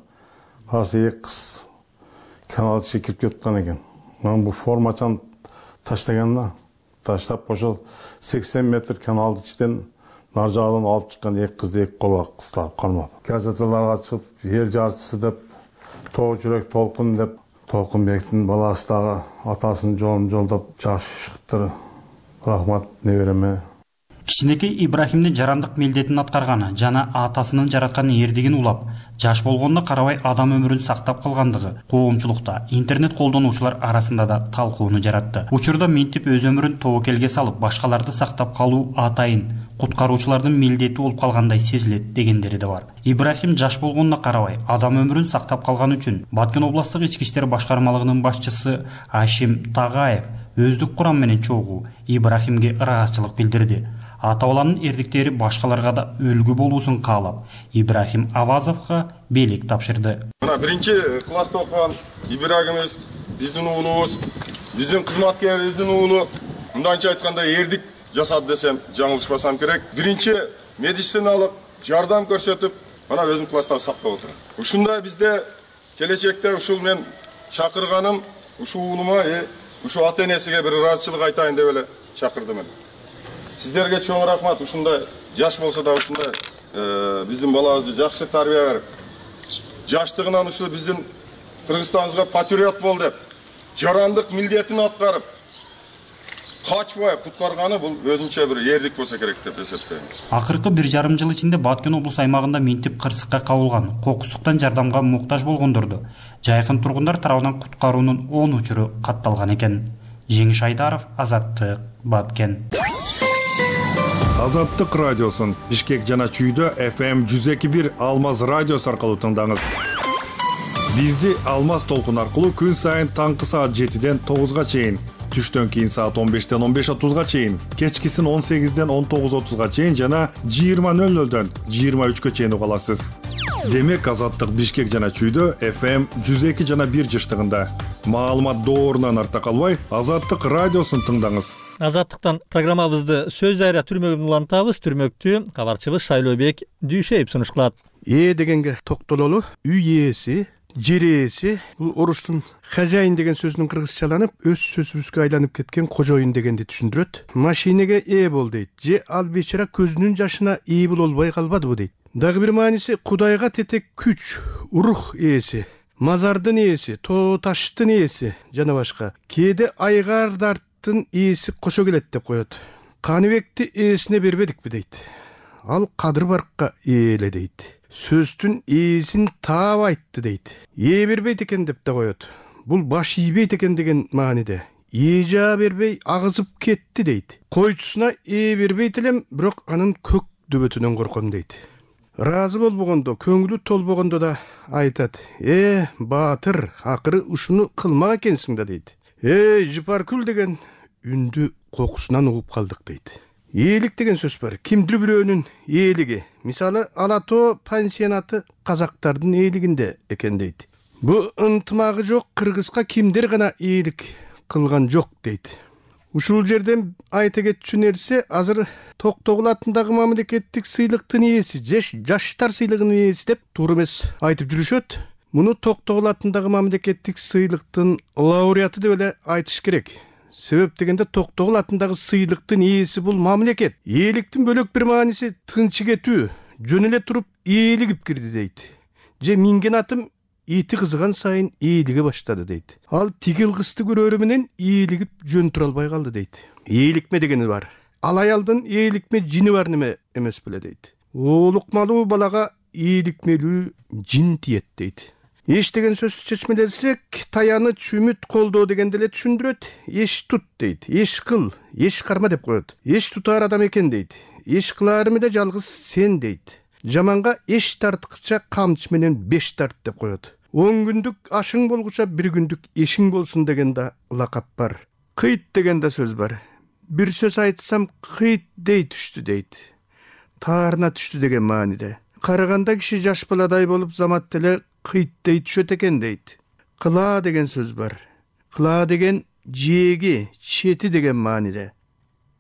караса эки кыз канал ичине кирип кеткен экен. Анан бул формачаны таштаган да таштап ошол сексен метр каналдын ичинен нар жагынан алып чыккан эки кызды эки колго кыстап кармап газеталарга чыгып эл жарчысы деп тоо жүрөк толкун деп Толкунбектин баласы дагы атасынын жолун жолдоп жакшы чыктыр. Рахмат небереме. Кичинекей Ибрахимдин жарандык милдетин аткарганы жана атасынын жараткан эрдигин улап, жаш болгонуна карабай адам өмүрүн сактап калгандыгы коомчулукта, интернет колдонуучулар арасында да талкууну жаратты. Учурда минтип өз өмүрүн тобокелге салып, башкаларды сактап калуу атайын куткаруучулардын милдети болуп калгандай сезилет дегендери да бар. Ибрахим жаш болгонуна карабай адам өмүрүн сактап калган үчүн Баткен областык ички иштер башкармалыгынын башчысы Ашим Тагаев өздүк курам менен чогуу Ибрахимге ыраазычылык билдирди. Ата-баланын эрдиктери башкаларга да үлгү болуусун каалап, Ибрахим Авазовго белек тапшырды. Мына биринчи класста окуган Ибрахимибиз биздин уулубуз, биздин кызматкерибиздин уулу, мындайча айтканда эрдик жасады десем жаңылышпасам керек. Биринчи медициналык жардам көрсөтүп, мына өзүм класста сактап отурат. Ушундай бизде келечекте ушул мен чакырганым, ушул уулума, ушул ата-энесиге бир ыраазычылык айтайын деп эле чакырдым. Сиздерге чоң рахмат. Ушундай жаш болсо да ушундай биздин балабызды жакшы тарбия берип, жаштыгынан ушул биздин Кыргызстаныбызга патриот бол деп, жарандык милдетин аткарып, качпай куткарганы бул өзүнчө бир эрдик болсо керек деп эсептейм. Акыркы бир жарым жыл ичинде Баткен облус аймагында минтип кырсыкка кабылган, кокустуктан жардамга муктаж болгондорду жайкын тургундар тарабынан куткаруунун он учуру катталган экен. Жеңиш Айдаров, Азаттык, Баткен. Азаттык радиосун Бишкек жана Чүйдө эф эм жүз эки бир Алмаз радиосу аркылуу тыңдаңыз. Бизди Алмаз толкун аркылуу күн сайын таңкы саат жетиден тогузга чейин, түштөн кийин саат он бештен он беш отузга чейин, кечкисин он сегизден он тогуз отузга чейин жана жыйырма нөл нөлдөн жыйырма үчкө чейин уга аласыз. Демек Азаттык Бишкек жана Чүйдө эф эм жүз эки жана бир жыштыгында. Маалымат доорунан арта калбай, Азаттык радиосун тыңдаңыз. Азаттыктан программабызды сөз дайра түрмөгүн улантабыз. Түрмөктү кабарчыбыз Шайлообек Дүйшеев сунуш кылат. Ээ дегенге токтололу. Үй ээси, жер ээси, бул орустун хозяин деген сөзүнүн кыргызчаланып, өз сөзүбүзгө айланып кеткен кожоюн дегенди түшүндүрөт. Машинеге ээ бол дейт. Же ал бечара көзүнүн жашына ээ болбой калбадыбы дейт. Дагы бир мааниси Кудайга тетек күч, рух ээси, мазардын ээси, тоо таштын ээси жана башка. Кээде айгардардын ээси кошо келет деп коет. Каныбекти ээсине бербедикпи дейт. Ал Кадыр Баркка ээле дейт. Сөздүн ээсин таап айтты дейт. Ээ бербейт экен деп да коет. Бул баш ийбейт экен деген мааниде. Ээ жаа бербей агызып кетти дейт. Койчусуна ээ бербейт элем, бирок анын көк дөбөтүнөн корком дейт. Разы болбогондо, көңүлү толбогондо да айтат. Э, баатыр, акыры ушуну кылмак экенсиң да дейт. Э, Жыпаркүл деген үндү кокусунан угуп калдык дейт. Ээлик деген сөз бар. Кимдир бирөөнүн ээлиги. Мисалы, Ала Тоо пансионаты казактардын ээлигинде экен дейт. Бу ынтымагы жок кыргызга кимдир гана ээлик кылган жок дейт. Ушул жерден айта кетчү нерсе, азыр Токтогул атындагы мамлекеттик сыйлыктын ээси, жаштар сыйлыгынын ээси деп туура эмес айтып жүрүшөт. Муну Токтогул атындагы мамлекеттик сыйлыктын лауреаты деп эле айтыш керек. Себеп дегенде Токтогул атындагы сыйлыктын ээси бул мамлекет. Ээликтин бөлөк бир мааниси тынчы кетүү, жөн эле туруп ээлигип кирди дейт. Же минген атым ити кызыган сайын ээлиге баштады дейт. Ал тигил кызды көрөрү менен ээлигип жөн тура албай калды дейт. Ээликме дегени бар. Ал аялдын ээликме жини бар неме эмес беле дейт. Оолукмалуу балага ээликмелүү жин тиет дейт. Эш деген сөздү чечмелесек, таяныч, үмүт, колдоо дегенди эле түшүндүрөт. Эш тут дейт. Эш кыл, эш карма деп коет. Эш тутар адам экен дейт. Эш кыларымы да жалгыз сен дейт. Жаманга эш тарткыча камчы менен беш тарт деп коет. Он күндүк ашың болгуча бир күндүк эшиң болсун деген да лакап бар. Кыйт деген да сөз бар. Бир сөз айтсам кыйт дей түштү дейт. Таарына түштү деген мааниде. Караганда киши жаш баладай болуп замат деле кыйт дей түшөт экен дейт. Кыла деген сөз бар. Кыла деген жээги, чети деген мааниде.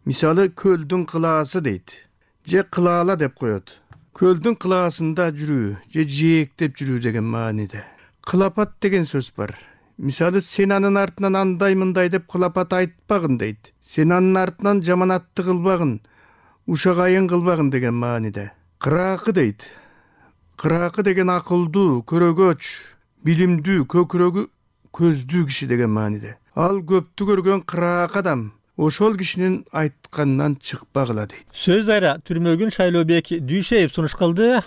Мисалы көлдүн кылаасы дейт, же кылаала деп коет. Көлдүн кылаасында жүрүү же жээктеп жүрүү деген мааниде. Кылапат деген сөз бар. Мисалы сен анын артынан андай мындай деп кылапат айтпагын дейт. Сен анын артынан жаманатты кылбагын, ушагайын кылбагын деген мааниде. Кыраакы дейт. Кыраакы деген акылдуу, көрөгөч, билимдүү, көкүрөгү көздүү киши деген мааниде. Ал көптү көргөн кыраак адам ошол кишинин айтканынан чыкпагыла дейт. Сөз дайра Түрмөгүн Шайлообек Дүйшеев сунуш кылды.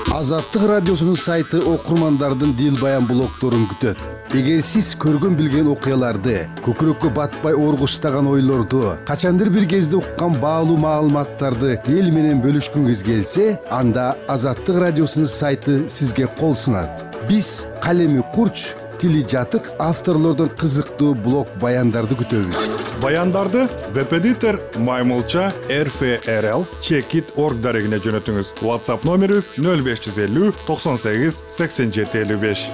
Азаттык радиосунун сайты окурмандардын дил баян блогдорун күтөт. Эгер сиз көргөн билген окуяларды, көкүрөккө батпай оргуштаган ойлорду, качандыр бир кезде уккан баалуу маалыматтарды эл менен бөлүшкүңүз келсе, анда Азаттык радиосунун сайты сизге кол сунат. Биз калеми курч, тили жатык авторлордун кызыктуу блог баяндарды күтөбүз. Баяндарды веб-эдитор Маймылча эр эф эр эл чекит точка орг дарегине жөнөтүңүз. WhatsApp номерибиз нөл беш жүз элүү токсон сегиз сексен жети элүү беш.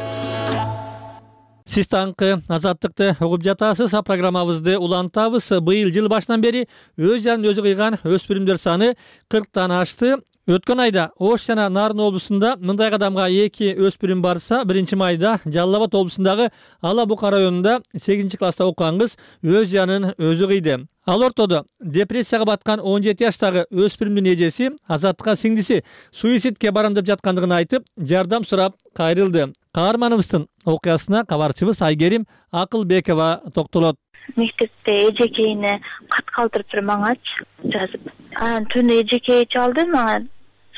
Сиз таңкы Азаттыкты угуп жатасыз. Программабызды улантабыз. Быйыл жыл башынан бери өз жарын өзү кыйган өспүрүмдөр саны кырктан ашты. Өткөн айда Ош жана Нарын облусунда мындай кадамга эки өспүрүм барса, биринчи майда Жалал Абад облусундагы Ала Бука районунда сегизинчи класста окуган кыз өз жанын өзү кыйды. Ал ортодо депрессияга баткан он жети жаштагы өспүрүмдүн эжеси Азаттыкка сиңдиси суицидке барам деп жаткандыгын айтып, жардам сурап кайрылды. Каарманыбыздын окуясына кабарчыбыз Айгерим Акылбекова токтолот. Мектепте эжекейине кат калтырып бир маңач жазып. Анан түнү эжекей чалды мага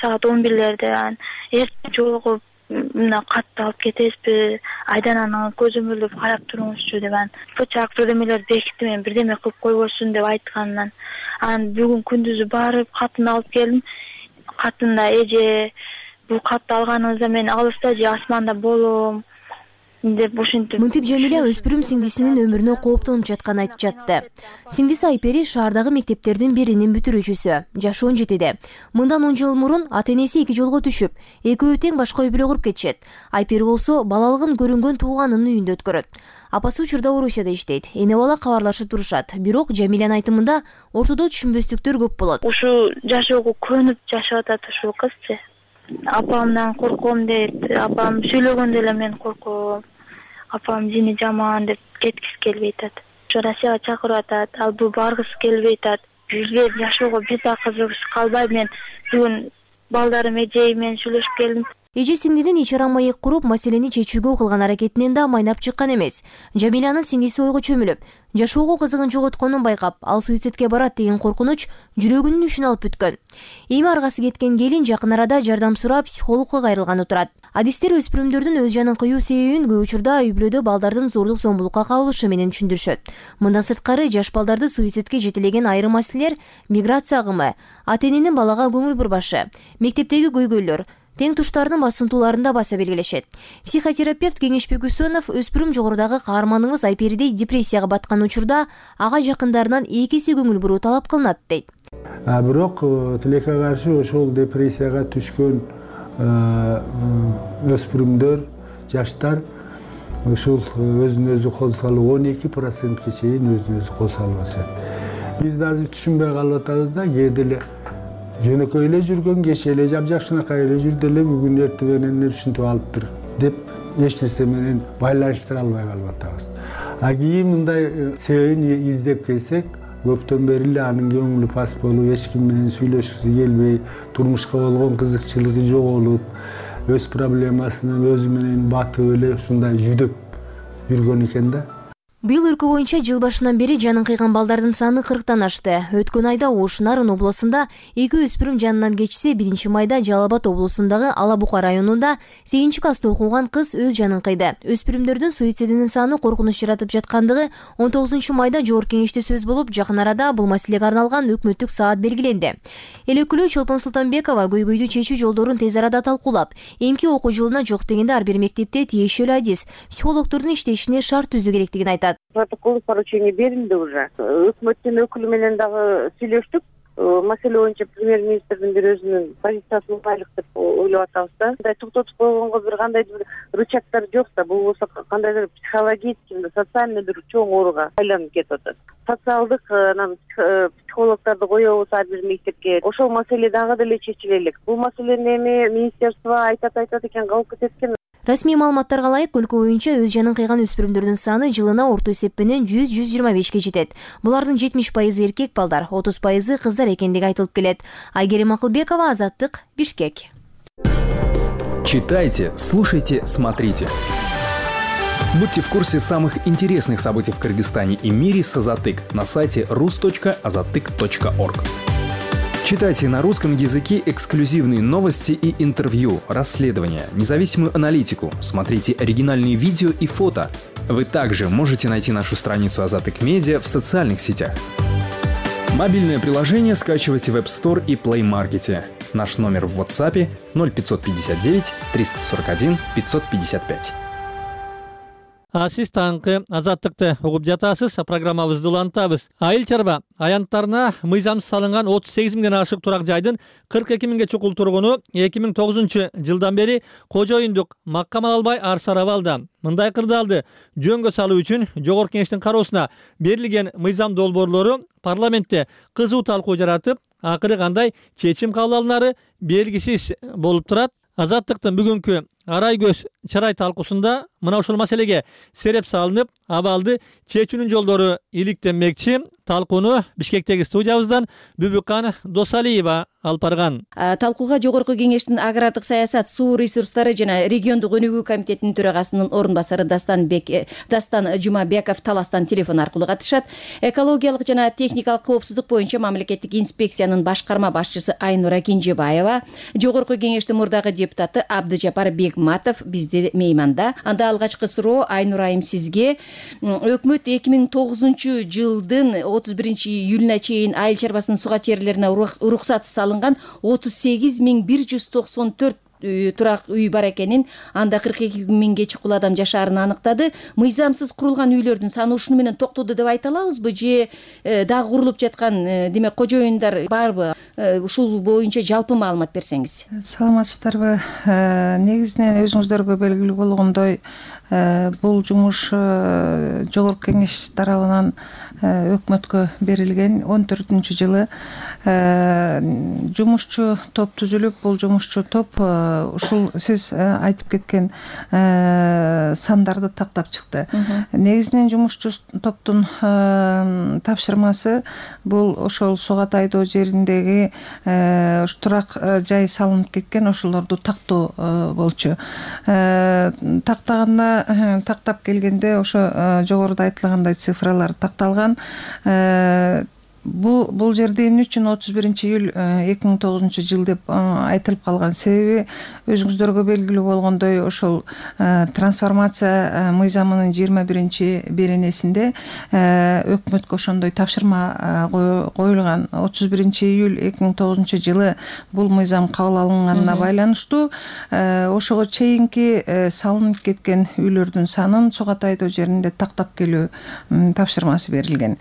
саат он бирлерде. Анан эртең жолугуп мына катты алып кетесизби? Айдан анан көзөмөлдөп карап туруңузчу деп анан бычак бирдемелер бекитти, мен бирдеме кылып койбосун деп айткандан. Анан бүгүн күндүзү барып катын алып келдим. Катында эже бул катты алганыңызда мен алыста же асманда болом деп ушинтип. Мынтип Жамиля өспүрүм сиңдисинин өмүрүнө кооптонуп жатканын айтып жатты. Сиңдиси Айпери шаардагы мектептердин биринин бүтүрүүчүсү, жашы он жетиде. Мындан он жыл мурун ата-энеси эки жолго түшүп, экөө тең башка үй бүлө куруп кетишет. Айпери болсо балалыгын көрүнгөн тууганынын үйүндө өткөрөт. Апасы учурда Орусияда иштейт. Эне бала кабарлашып турушат. Бирок Жамилянын айтымында ортодо түшүнбөстүктөр көп болот. Ушу жашоого көнүп жашап атат ушул кызчы. Апамдан корком дейт. Апам сүйлөгөндө эле мен корком. Апам жини жаман деп кеткиси келбей атат. Ошо Россияга чакырып атат. Ал бул баргысы келбей атат. Бизге жашоого бир да кызыгыш калбайт. Мен бүгүн балдарым эжей менен сүйлөшүп келдим. Эже сиңдинин ичара маек куруп, маселени чечүүгө кылган аракетинен да майнап чыккан эмес. Жамилянын сиңдиси ойго чөмүлүп, жашоого кызыгын жоготконун байкап, ал суицидке барат деген коркунуч жүрөгүнүн үчүн алып бүткөн. Эми аргасы кеткен келин жакын арада жардам сурап психологко кайрылганы турат. Адистер өспүрүмдөрдүн өз жанын кыюу себебин көп учурда үй бүлөдө балдардын зордук зомбулукка кабылышы менен түшүндүрүшөт. Мындан сырткары жаш балдарды суицидке жетелеген айрым маселелер миграция агымы, ата-эненин балага көңүл бурбашы, мектептеги көйгөйлөр, тең туштардын басымтууларында баса белгилешет. Психотерапевт Кеңешбек Үсөнов өспүрүм жогорудагы каарманыбыз Айперидей депрессияга баткан учурда ага жакындарынан эки эсе көңүл буруу талап кылынат дейт. Бирок тилекке каршы ошол депрессияга түшкөн өспүрүмдөр, жаштар ушул өзүн өзү кол салуу он эки процентке чейин өзүн өзү кол салып атышат. Биз да азыр түшүнбөй калып атабыз да, кээде эле жөнөкөй эле жүргөн, кеше эле жапжакшынакай эле жүрдү эле, бүгүн эртең менен түшүнтүп алыптыр деп эч нерсе менен байланыштыра албай калып атабыз. А кийин мындай себебин издеп келсек, көптөн бери эле анын көңүлү пас болуп, эч ким менен сүйлөшкүсү келбей, турмушка болгон кызыкчылыгы жоголуп, өз проблемасынан өзү менен батып эле ушундай жүдөп жүргөн экен да. Быйыл өлкө боюнча жыл башынан бери жанын кыйган балдардын саны кырктан ашты. Өткөн айда Ош Нарын облусунда эки өспүрүм жанынан кечсе, биринчи майда Жалал Абад облусундагы Ала Бука районунда сегизинчи класста окуган кыз өз жанын кыйды. Өспүрүмдөрдүн суицидинин саны коркунуч жаратып жаткандыгы он тогузунчу майда Жогорку Кеңеште сөз болуп, жакын арада бул маселеге арналган өкмөттүк саат белгиленди. Эл өкүлү Чолпон Султанбекова көйгөйдү чечүү жолдорун тез арада талкуулап, эмки окуу жылына жок дегенде ар бир мектепте тиешелүү адис, психологдордун иштешине шарт түзүү керектигин айтат. Протоколдук поручение берилди уже. Өкмөттүн өкүлү менен дагы сүйлөштүк. маселе боюнча премьер-министрдин бир өзүнүн позициясын угайлык деп ойлоп атабыз да. Мындай токтотуп койгонго бир кандайдыр рычагдар жок да, бул болсо кандайдыр психологический, социальный бир чоң ооруга айланып кетип атат. Социалдык анан психологдорду коебуз ар бир мектепке. Ошол маселе дагы деле чечиле элек. Бул маселени эми министерство айтат айтат экен, калып кетет экен. Расмий маалыматтарга ылайык өлкө боюнча өз жанын кыйган өспүрүмдөрдүн саны жылына орто эсеп менен жүз жүз жыйырма бешке жетет. Булардын жетимиш пайызы эркек балдар, отуз пайызы кыздар экендиги айтылып келет. Айгерим Акылбекова, Азаттык, Бишкек. Читайте, слушайте, смотрите. Будьте в курсе самых интересных событий в Кыргызстане и мире с Азаттык на сайте рус точка азаттык точка орг. Читайте на русском языке эксклюзивные новости и интервью, расследования, независимую аналитику. Смотрите оригинальные видео и фото. Вы также можете найти нашу страницу Азаттык Медиа в социальных сетях. Мобильное приложение скачивайте в App Store и Play Market. Наш номер в WhatsApp ноль пятьсот пятьдесят девять триста сорок один пятьсот пятьдесят пять. А сиз таңкы Азаттыкты угуп жатасыз. Программабызды улантабыз. Айыл чарба аянттарына мыйзам салынган отуз сегиз миңден ашык турак жайдын кырк эки миңге чукул тургуну эки миң тогузунчу жылдан бери кожоюндук маккамал албай ар сарабалда. Мындай кырдаалды жөнгө салуу үчүн жогорку кеңештин кароосуна берилген мыйзам долбоорлору парламентте кызуу талкуу жаратып, акыры кандай чечим кабыл алынары белгисиз болуп турат. Азаттыктын бүгүнкү арай көз чарай талкуусунда мына ушул маселеге сереп салынып, абалды чечүүнүн жолдору иликтенмекчи. Талкууну Бишкектеги студиябыздан Бүбүкан Досалиева алып барган. Талкууга жогорку кеңештин агрардык саясат, суу ресурстары жана региондук өнүгүү комитетинин төрагасынын орун басары Дастан Бек Дастан Жумабеков Таластан телефон аркылуу катышат. Экологиялык жана техникалык коопсуздук боюнча мамлекеттик инспекциянын башкарма башчысы Айнура Кинжебаева, жогорку кеңештин мурдагы депутаты Абдыжапар Бегматов бизде мейманда. Анда алгачкы суроо Айнура айым сизге. Өкмөт эки миң тогузунчу жылдын отуз биринчи июлуна чейин айыл чарбасынын суга черлерине уруксат салынган отуз сегиз миң бир жүз токсон төрт турак үй бар экенин, анда кырк эки миңге чукул адам жашаарын аныктады. Мыйзамсыз курулган үйлөрдүн саны ушуну менен токтоду деп айта алабызбы же дагы курулуп жаткан демек кожоюндар барбы? Ушул боюнча жалпы маалымат берсеңиз. Саламатсыздарбы? Негизинен өзүңүздөргө белгилүү болгондой, бул жумуш жогорку кеңеш тарабынан өкмөткө берилген он төртүнчү жылы жумушчу топ түзүлүп, бул жумушчу топ ушул сиз айтып кеткен сандарды тактап чыкты. Негизинен жумушчу топтун тапшырмасы бул ошол Суга тайдоо жериндеги турак жай салынып кеткен, ошолорду тактоо болчу. Тактаганда тактап келгенде ошо жогоруда айтылгандай цифралар такталган. Бул бул жерде эмне үчүн отуз биринчи июль эки миң тогузунчу жыл деп айтылып калган себеби өзүңүздөргө белгилүү болгондой ошол трансформация мыйзамынын жыйырма биринчи беренесинде өкмөткө ошондой тапшырма коюлган. отуз биринчи июль эки миң тогузунчу жылы бул мыйзам кабыл алынганына байланыштуу ошого чейинки салынып кеткен үйлөрдүн санын Суга тайдоо жеринде тактап келүү тапшырмасы берилген.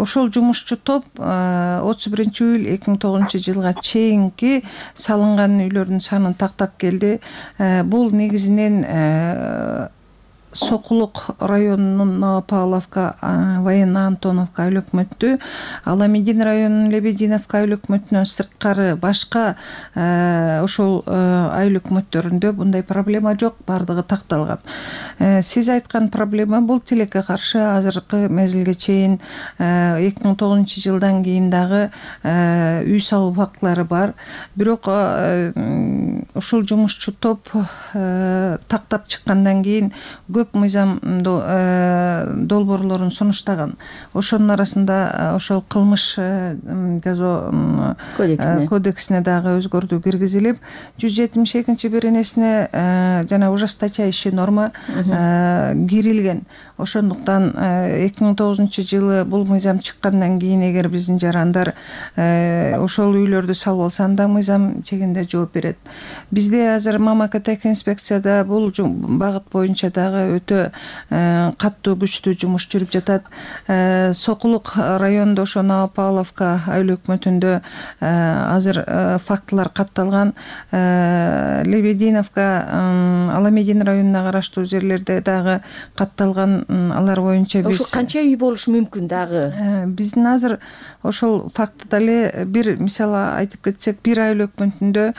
Ошол жумушчу топ отуз биринчи июль эки миң тогузунчу жылга чейинки салынган үйлөрдүн санын тактап келди. Бул негизинен Сокулук районунун Новопавловка, Военно Антоновка айыл өкмөтү, Аламедин районунун Лебединовка айыл өкмөтүнөн сырткары башка ошол айыл өкмөттөрүндө мындай проблема жок, бардыгы такталган. Сиз айткан проблема бул тилекке каршы азыркы мезгилге чейин эки миң тогузунчу жылдан кийин дагы үй салуу фактылары бар. Бирок ушул жумушчу топ тактап чыккандан кийин көп мыйзам долбоорлорун сунуштаган. Ошонун арасында ошол кылмыш жаза кодексине дагы өзгөртүү киргизилип, жүз жетимиш экинчи беренесине жана ужесточающий норма кирилген. Ошондуктан эки миң тогузунчу жылы бул мыйзам чыккандан кийин эгер биздин жарандар ошол үйлөрдү салып алса, анда мыйзам чегинде жооп берет. Бизде азыр мамлекеттик инспекцияда бул багыт боюнча дагы өтө каттуу күчтүү жумуш жүрүп жатат. Сокулук районунда ошо Новопавловка айыл өкмөтүндө азыр фактылар катталган. Лебединовка Аламедин районуна караштуу жерлерде дагы катталган. Алар боюнча биз ошо канча үй болушу мүмкүн дагы? Биздин азыр ошол фактыда эле бир мисалы айтып кетсек, бир айыл өкмөтүндө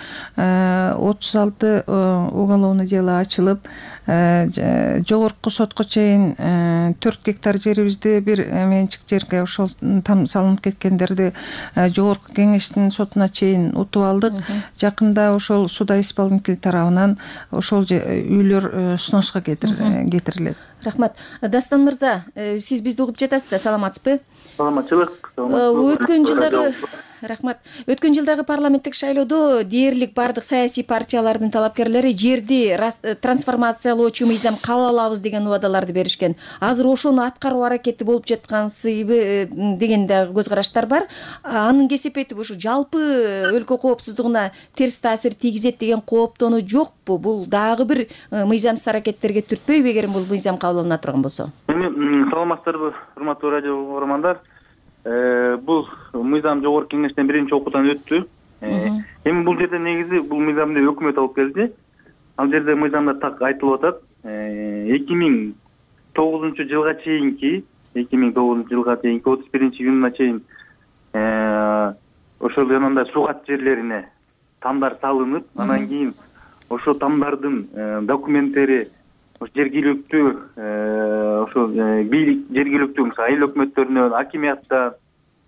отуз алты уголовный дело ачылып, жогорку сотко чейин төрт гектар жерибизди бир менчик жерге ошол там салынып кеткендерди жогорку кеңештин сотуна чейин утуп алдык. Жакында ошол суда исполнитель тарабынан ошол үйлөр сноско кетирилет. Рахмат. Дастан мырза, сиз бизди угуп жатасыз да, саламатсызбы? Саламатчылык. Өткөн жылдагы Рахмат. Өткөн жылдагы парламенттик шайлоодо дээрлик бардык саясий партиялардын талапкерлери жерди трансформациялоочу мыйзам кабыл алабыз деген убадаларды беришкен. Азыр ошону аткаруу аракети болуп жаткансыбы деген дагы көз караштар бар. Анын кесепети ушу жалпы өлкө коопсуздугуна терс таасир тийгизет деген кооптонуу жокпу? Бул дагы бир мыйзамсыз аракеттерге түртпөйбү эгер бул мыйзам кабыл алына турган болсо? Эми саламатсыздарбы, урматтуу радио угармандар? Бул мыйзам жогорку кеңештен биринчи окуудан өттү. Эми бул жерде негизи бул мыйзамды өкмөт алып келди. Ал жерде мыйзамда так айтылып атат. эки миң тогузунчу жылга чейинки, эки миң тогузунчу жылга чейинки отуз биринчи июнуна чейин ошол жанагындай сугат жерлерине тамдар салынып, анан кийин ошол тамдардын документтери жергиликтүү ошо бийлик жергиликтүү айыл өкмөттөрүнөн, акимияттан,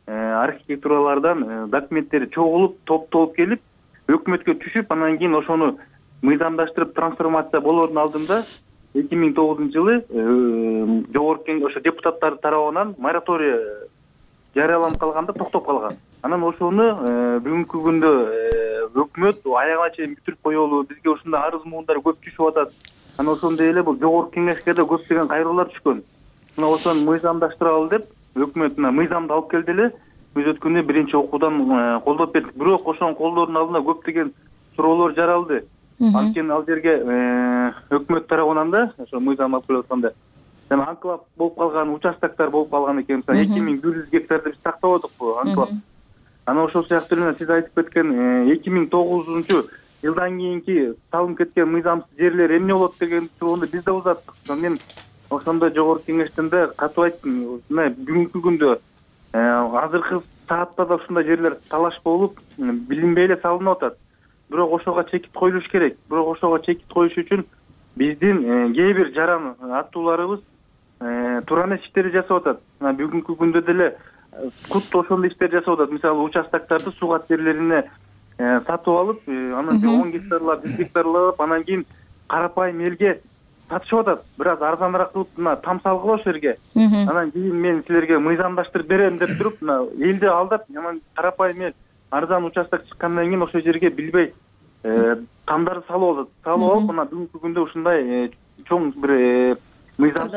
архитектуралардан документтери чогулуп, топтолуп келип, өкмөткө түшүп, анан кийин ошону мыйзамдаштырып трансформация болоордун алдында эки миң тогузунчу жылы жогорку ошо депутаттар тарабынан мораторий жарыяланып калганда токтоп калган. Анан ошону бүгүнкү күндө өкмөт аягына чейин бүтүрүп коелу, бизге ушундай арыз муундар көп түшүп атат. Анан ошондой эле бул жогорку кеңешке да көптөгөн кайрылуулар түшкөн. Мына ошону мыйзамдаштыралы деп өкмөт мына мыйзамды алып келди эле. Биз өткөндө биринчи окуудан колдоп бердик. Бирок ошону колдоордун алдында көптөгөн суроолор жаралды. Анткени ал жерге өкмөт тарабынан да ошо мыйзам алып келип атканда жана анклав болуп калган участоктор болуп калган экен. эки миң бир жүз гектарды биз тактабадык бу анклав. Анан ошол сыяктуу эле сиз айтып кеткен эки миң тогузунчу жылдан кийинки салынып кеткен мыйзамсыз жерлер эмне болот деген суроону биз да узаттык. Мен ошондо жогорку кеңештен да катып айттым. Мына бүгүнкү күндө азыркы саатта да ушундай жерлер талаш болуп, билинбей эле салынып атат. Бирок ошого чекит коюлуш керек. Бирок ошого чекит коюш үчүн биздин кээ бир жаран аттууларыбыз туура эмес иштерди жасап атат. Бүгүнкү күндө деле кут ошондой иштер жасап атат. Мисалы участокторду сугат жерлерине сатып алып, анан он гектарлап, жүз гектарлап, анан кийин карапайым элге сатышып атат. Бир аз арзаныраак кылып, мына там салгыла ошол жерге. Анан кийин мен силерге мыйзамдаштырып берем деп туруп, мына элди алдап, анан карапайым эл арзан участок чыккандан кийин ошол жерге билбей тамдарды салып алат. Салып алып, мына бүгүнкү күндө ушундай чоң бир мыйзам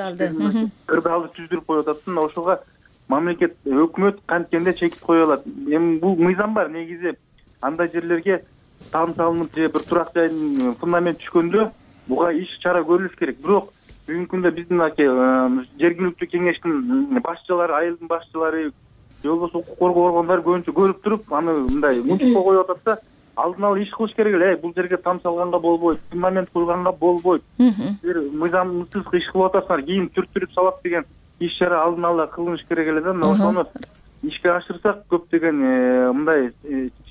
кырдаалды түздүрүп коюп атат. Мына ошого мамлекет, өкмөт канткенде чекит кое алат. Эми бул мыйзам бар негизи. Андай жерлерге там салынып же бир турак жайдын фундамент түшкөндө буга иш чара көрүлүш керек. Бирок бүгүнкү күндө биздин аке жергиликтүү кеңештин башчылары, айылдын башчылары, же болбосо укук коргоо органдары көбүнчө көрүп туруп, аны мындай мунчукка коюп атат да, алдын ала иш кылыш керек эле. Бул жерге там салганга болбойт, фундамент куйганга болбойт. Бир мыйзамсыз иш кылып атасыңар, кийин түртүрүп салат деген иш чара алдын ала кылыныш керек эле да. Ошону ишке ашырсак көптөгөн мындай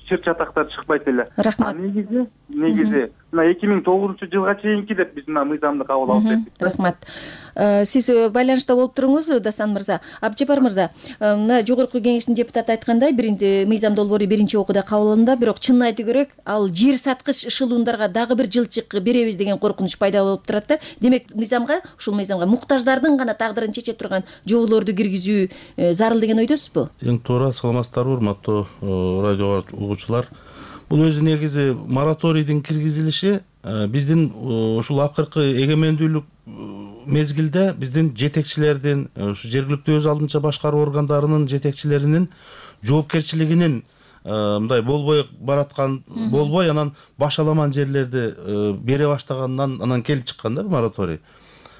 чыр чатактар чыкпайт эле. Рахмат. Негизи, негизи мына эки миң тогузунчу жылга чейинки деп биз мына мыйзамды кабыл алып бердик. Рахмат. Сиз байланышта болуп туруңуз, Дастан мырза. Абжапар мырза, мына жогорку кеңештин депутаты айткандай, биринчи мыйзам долбоору биринчи окууда кабыл алынды, бирок чынын айтуу керек, ал жер саткыч эшелондарга дагы бир жылчык беребиз деген коркунуч пайда болуп турат да. Демек, мыйзамга, ушул мыйзамга муктаждардын гана тагдырын чече турган жоболорду киргизүү зарыл деген ойдосузбу? Эң туура, саламатсыздарбы, урматтуу радио угуучулар. Бул өзү негизи мораторийдин киргизилиши биздин ушул акыркы эгемендүүлүк мезгилде биздин жетекчилердин, ушу жергиликтүү өз алдынча башкаруу органдарынын жетекчилеринин жоопкерчилигинин мындай болбой бараткан, болбой анан башаламан жерлерди бере баштаганынан анан келип чыккан да мораторий.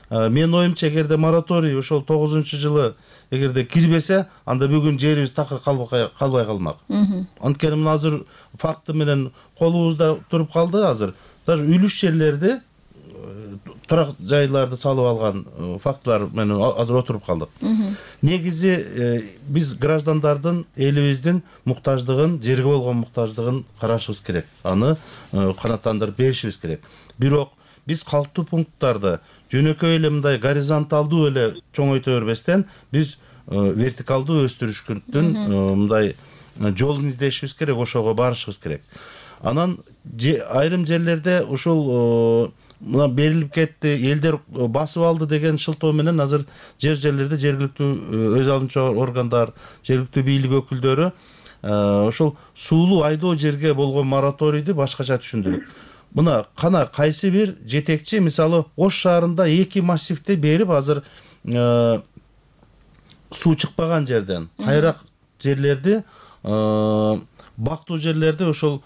менин оюмча эгерде мораторий ошол тогузунчу жылы эгерде кирбесе, анда бүгүн жерибиз такыр калбай калмак. Анткени мына азыр факты менен колубузда туруп калды. Азыр даже үлүш жерлерди, турак жайларды салып алган фактылар менен азыр отуруп калдык. Негизи биз граждандардын, элибиздин муктаждыгын, жерге болгон муктаждыгын карашыбыз керек. Аны канааттандырып беришибиз керек. Бирок биз калктуу пункттарды жөнөкөй эле мындай горизонталдуу эле чоңойто бербестен, биз вертикалдуу өстүрүштүн мындай жолун издешибиз керек, ошого барышыбыз керек. Анан айрым жерлерде ушул мына берилип кетти, элдер басып алды деген шылтоо менен азыр жер жерлерде жергиликтүү өз алуучу органдар, жергиликтүү бийлик өкүлдөрү ошол суулуу айдоо жерге болгон мораторийди башкача түшүндүрүп. Мына кана кайсы бир жетекчи, мисалы Ош шаарында эки массивди берип, азыр суу чыкпаган жерден кайрак жерлерди, бактуу жерлерди ошол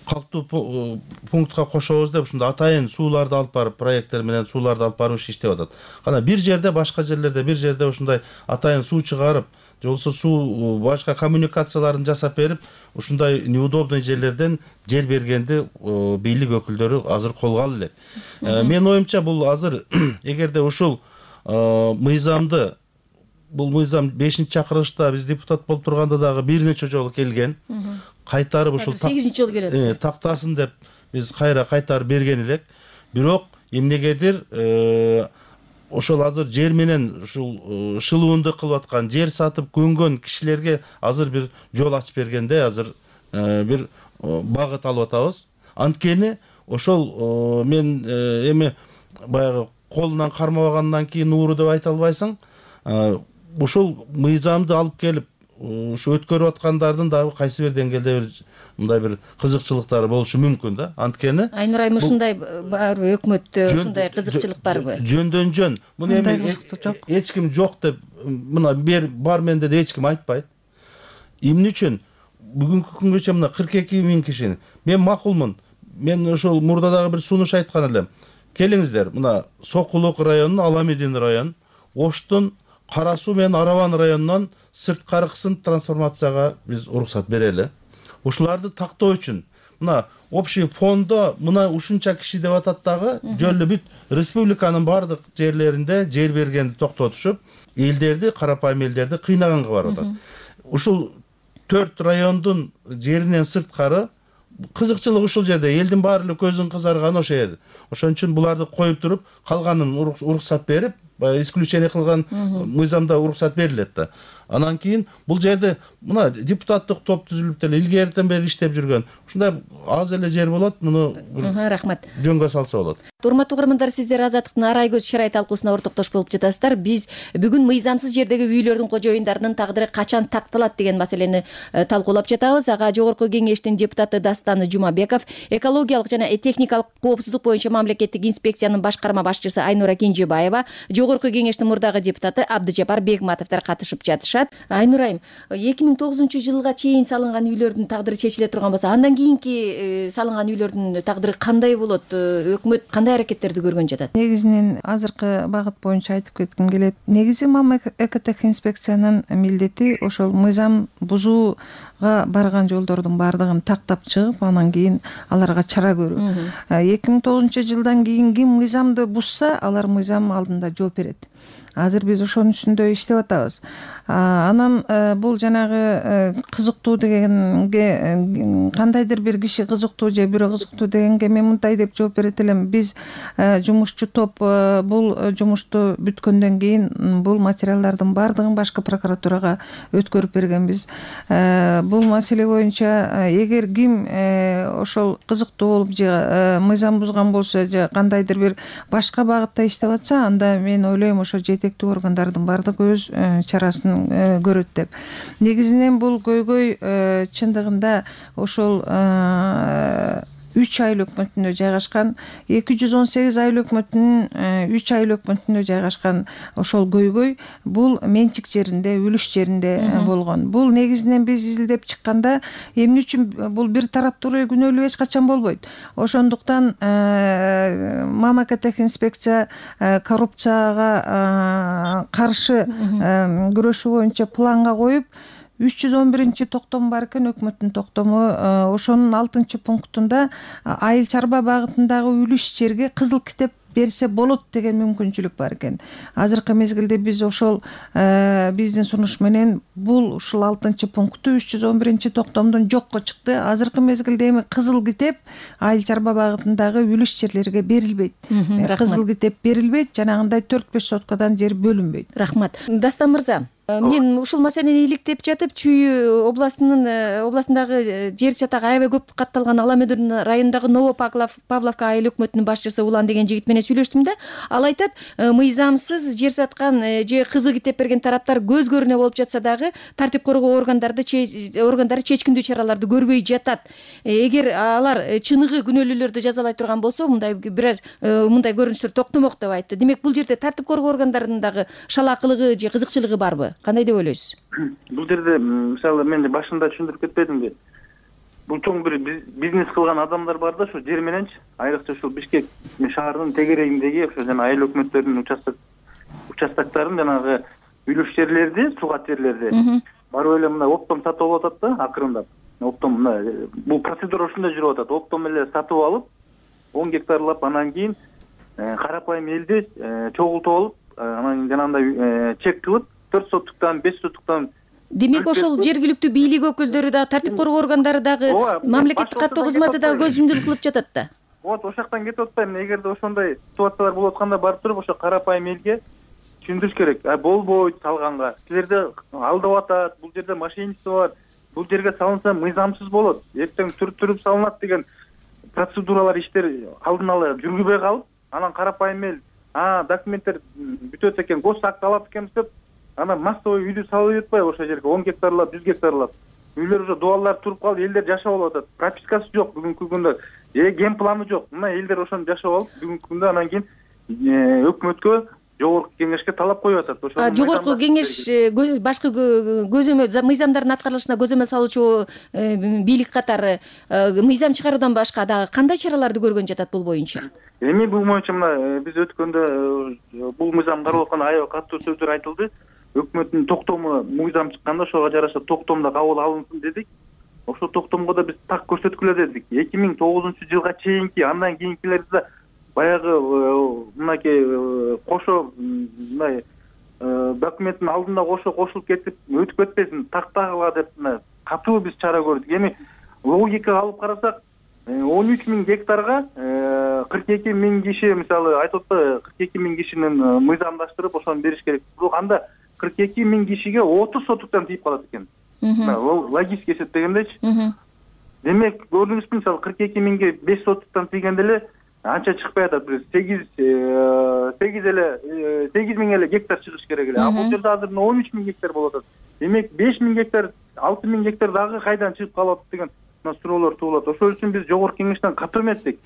калктуу пунктка кошобуз деп ушундай атайын сууларды алып барып, проекттер менен сууларды алып барып иштеп атат. Кана бир жерде, башка жерлерде бир жерде ушундай атайын суу чыгарып, же болбосо суу башка коммуникацияларын жасап берип, ушундай неудобный жерлерден жер бергенди бийлик өкүлдөрү азыр колго алып элек. Менин оюмча бул азыр эгерде ушул мыйзамды, бул мыйзам бешинчи чакырылышта биз депутат болуп турганда дагы бир нече жолу келген. Кайтарып ушул сегизинчи жолу келет. Тактасын деп биз кайра кайтарып берген элек. Бирок эмнегедир ошол азыр жер менен ушул шылуундук кылып аткан, жер сатып көнгөн кишилерге азыр бир жол ачып бергенде азыр бир багыт алып атабыз. Анткени ошол мен эми баягы колунан кармабагандан кийин ууру деп айта албайсың. Ушул мыйзамды алып келип ушу өткөрүп аткандардын дагы кайсы бир деңгээлде бир мындай бир кызыкчылыктары болушу мүмкүн да. Анткени Айнур айым ушундай барбы, өкмөттө ушундай кызыкчылык барбы? Жөндөн жөн. Муну эми эч ким жок деп, мына бер бар менде де эч ким айтпайт. Эмне үчүн бүгүнкү күнгөчө мына кырк эки миң киши, мен макулмун. Мен ошол мурда дагы бир сунуш айткан элем. Келиңиздер, мына Сокулук районунун, Аламедин район, Оштун Кара Суу менен Араван районунан сырткары кысым трансформацияга биз уруксат берели. Ушуларды тактоо үчүн мына общий фондо мына ушунча киши деп атат дагы, жөн эле бүт республиканын бардык жерлеринде жер бергенди токтотушуп, элдерди, карапайым элдерди кыйнаганга барып атат. Ушул төрт райондун жеринен сырткары кызыкчылык ушул жерде, элдин баары эле көзүн кызарганы ошо эл. Ошон үчүн буларды коюп туруп, калганын уруксат берип, исключение кылган мыйзамда уруксат берилет да. Анан кийин бул жерде мына депутаттык топ түзүлүп деле илгертен бери иштеп жүргөн. Ушундай аз эле жер болот, муну рахмат. Жөнгө салса болот. Урматтуу угармандар, сиздер Азаттыктын арай көз шырай талкуусуна ортоктош болуп жатасыздар. Биз бүгүн мыйзамсыз жердеги үйлөрдүн кожоюндарынын тагдыры качан такталат деген маселени талкуулап жатабыз. Ага жогорку кеңештин депутаты Дастан Жумабеков, экологиялык жана техникалык коопсуздук боюнча мамлекеттик инспекциянын башкарма башчысы Айнура Кенжебаева, жогорку кеңештин мурдагы депутаты Абдыжапар Бегматовдор катышып жатышат. Айнур айым, эки миң тогузунчу жылга чейин салынган үйлөрдүн тагдыры чечиле турган болсо, андан кийинки салынган үйлөрдүн тагдыры кандай болот? Өкмөт кандай аракеттерди көргөн жатат? Негизинен азыркы багыт боюнча айтып кетким келет. Негизи мамлекеттик инспекциянын милдети ошол мыйзам бузууга барган жолдордун баардыгын тактап чыгып, анан кийин аларга чара көрүү. эки миң тогузунчу жылдан кийин ким мыйзамды бузса, алар мыйзам алдында жооп берет. Азыр биз ошонун үстүндө иштеп атабыз. Анан бул жанагы кызыктуу дегенге, кандайдыр бир киши кызыктуу же бирөө кызыктуу дегенге мен мындай деп жооп берет элем. Биз жумушчу топ бул жумушту бүткөндөн кийин бул материалдардын баардыгын башкы прокуратурага өткөрүп бергенбиз. Бул маселе боюнча эгер ким ошол кызыктуу болуп же мыйзам бузган болсо же кандайдыр бир башка багытта иштеп атса, анда мен ойлойм ошо жетектүү органдардын баардыгы өз чарасын көрөт деп. Негизинен бул көйгөй чындыгында ошол үч айыл өкмөтүндө жайгашкан, эки жүз он сегиз айыл өкмөтүнүн үч айыл өкмөтүндө жайгашкан ошол көйгөй бул менчик жеринде, үлүш жеринде болгон. Бул негизинен биз изилдеп чыкканда эмне үчүн бул бир тараптуу күнөөлүү эч качан болбойт. Ошондуктан мамлекеттик инспекция коррупцияга каршы күрөшүү боюнча планга коюп, үч жүз он биринчи токтому бар экен, өкмөттүн токтому. Ошонун алтынчы пунктунда айыл чарба багытындагы үлүш жерге кызыл китеп берсе болот деген мүмкүнчүлүк бар экен. Азыркы мезгилде биз ошол биздин сунуш менен бул ушул алтынчы пункту үч жүз он биринчи токтомдон жокко чыкты. Азыркы мезгилде эми кызыл китеп айыл чарба багытындагы үлүш жерлерге берилбейт. Кызыл китеп берилбейт, жанагындай төрт беш соткадан жер бөлүнбөйт. Рахмат. Дастан мырза, мен ушул маселени иликтеп жатып, Чүй областынын областындагы жер чатагы аябай көп катталган Ала Мөдүн районундагы Ново Павловка айыл өкмөтүнүн башчысы Улан деген жигит менен сүйлөштүм да. Ал айтат, мыйзамсыз жер саткан же кызыл китеп берген тараптар көз көрүнө болуп жатса дагы тартип коргоо органдарды органдары чечкиндүү чараларды көрбөй жатат. Эгер алар чыныгы күнөөлүүлөрдү жазалай турган болсо, мындай бир аз мындай көрүнүштөр токтомок деп айтты. Демек, бул жерде тартип коргоо органдарынын дагы шалаакылыгы же кызыкчылыгы барбы? Кандай деп ойлойсуз? Бул жерде мисалы мен башында түшүндүрүп кетпедимби? Бул чоң бир бизнес кылган адамдар бар да, ошо жер мененчи, айрыкча ушул Бишкек шаарынын тегерегиндеги ошо жана айыл өкмөттөрүнүн участок участоктарын жанагы үлүш жерлерди, сугат жерлерди барып эле мына оптом сатып алып атат да, акырындап. Оптом мына бул процедура ушундай жүрүп атат. Оптом эле сатып алып, он гектарлап, анан кийин карапайым элди чогултуп алып, анан кийин жанагындай чек кылып төрт соттуктан, беш соттуктан. Демек, ошол жергиликтүү бийлик өкүлдөрү да, тартип коргоо органдары дагы, мамлекеттик каттоо кызматы дагы көз жүмдүүлүк кылып жатат да. Вот, ошол жактан кетип атпайм. Эгерде ошондой ситуациялар болуп атканда барып туруп, ошо карапайым элге түшүндүрүш керек. А болбойт салганга. Силерде алдап атат, бул жерде мошенничество бар. Бул жерге салынса мыйзамсыз болот. Эртең түрүп салынат деген процедуралар, иштер алдын ала жүргүбөй калып, анан карапайым эл, а, документтер бүтөт экен, гос акт алат экенбиз деп, анан массовый үйдү салып жатпайбы ошол жерге он гектарлап, жүз гектарлап. Үйлөр уже дуалдар туруп калып, элдер жашап алып атат. Пропискасы жок бүгүнкү күндө. Э, ген планы жок. Мына элдер ошону жашап алып, бүгүнкү күндө анан кийин өкмөткө, жогорку кеңешке талап коюп атат. Ошол жогорку кеңеш башкы көзөмөл мыйзамдардын аткарылышына көзөмөл салуучу бийлик катары мыйзам чыгаруудан башка дагы кандай чараларды көргөн жатат бул боюнча? Эми бул боюнча мына биз өткөндө бул мыйзам каралып атканда аябай катуу сөздөр айтылды. Өкмөттүн токтому мыйзам чыкканда ошого жараша токтомдо кабыл алынсын дедик. Ошол токтомго да биз так көрсөткүлө дедик. эки миң тогузунчу жылга чейинки, андан кийинкилерди баягы мынакей кошо мындай документтин алдында кошо кошулуп кетип өтүп кетпесин, тактагыла деп катуу биз чара көрдүк. Эми логикага алып карасак, он үч миң гектарга кырк эки миң киши, мисалы айтып атпайбы, кырк эки миң кишинин мыйзамдаштырып ошону бериш керек. Бирок анда кырк эки миң кишиге отуз соттуктан тийип калат экен. Логически эсептегендечи. Демек, көрдүңүзбү, мисалы кырк эки миңге беш соттуктан тийгенде эле анча чыкпай атат. Бир сегиз сегиз эле сегиз миң эле гектар чыгыш керек эле. А бул жерде азыр он үч миң гектар болуп атат. Демек, беш миң гектар, алты миң гектар дагы кайдан чыгып калып атат деген суроолор туулат. Ошол үчүн биз жогорку кеңештен катуу эметтик.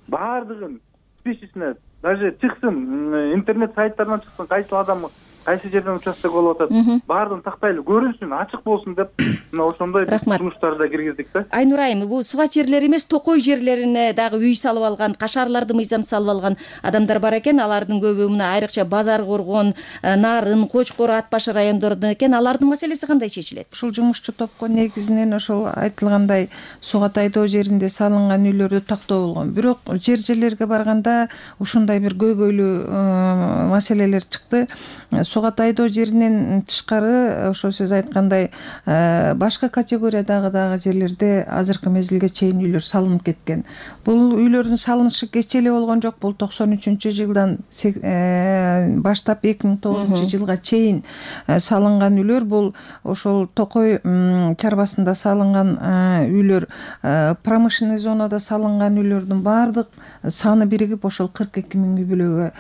Баардыгын списисине даже чыксын, интернет сайттарынан чыксын, кайсы адам кайсы жерден участок болуп атат, баардыгын тактайлы көрүнсүн, ачык болсун деп мына ошондой сунуштарды да киргиздик да. Айнур айым, бул сугат жерлер эмес, токой жерлерине дагы үй салып алган, кашарларды мыйзам салып алган адамдар бар экен. Алардын көбү мына айрыкча Базар Коргон, Нарын, Кочкор, Ат башы райондорунда экен. Алардын маселеси кандай чечилет? Ушул жумушчу топко негизинен ошол айтылгандай сугат айдоо жеринде салынган үйлөрдү тактоо болгон. Бирок жер жерлерге барганда ушундай бир көйгөйлүү маселелер чыкты. Сугат айдоо жеринен тышкары ошо сиз айткандай башка категориядагы дагы жерлерде азыркы мезгилге чейин үйлөр салынып кеткен. Бул үйлөрдүн салынышы кеч эле болгон жок. Бул токсон үчүнчү жылдан баштап эки миң тогузунчу жылга чейин салынган үйлөр. Бул ошол Токой чарбасында салынган үйлөр, промышленный зонада салынган үйлөрдүн баардык саны биригип ошол кырк эки миң үй бүлөгө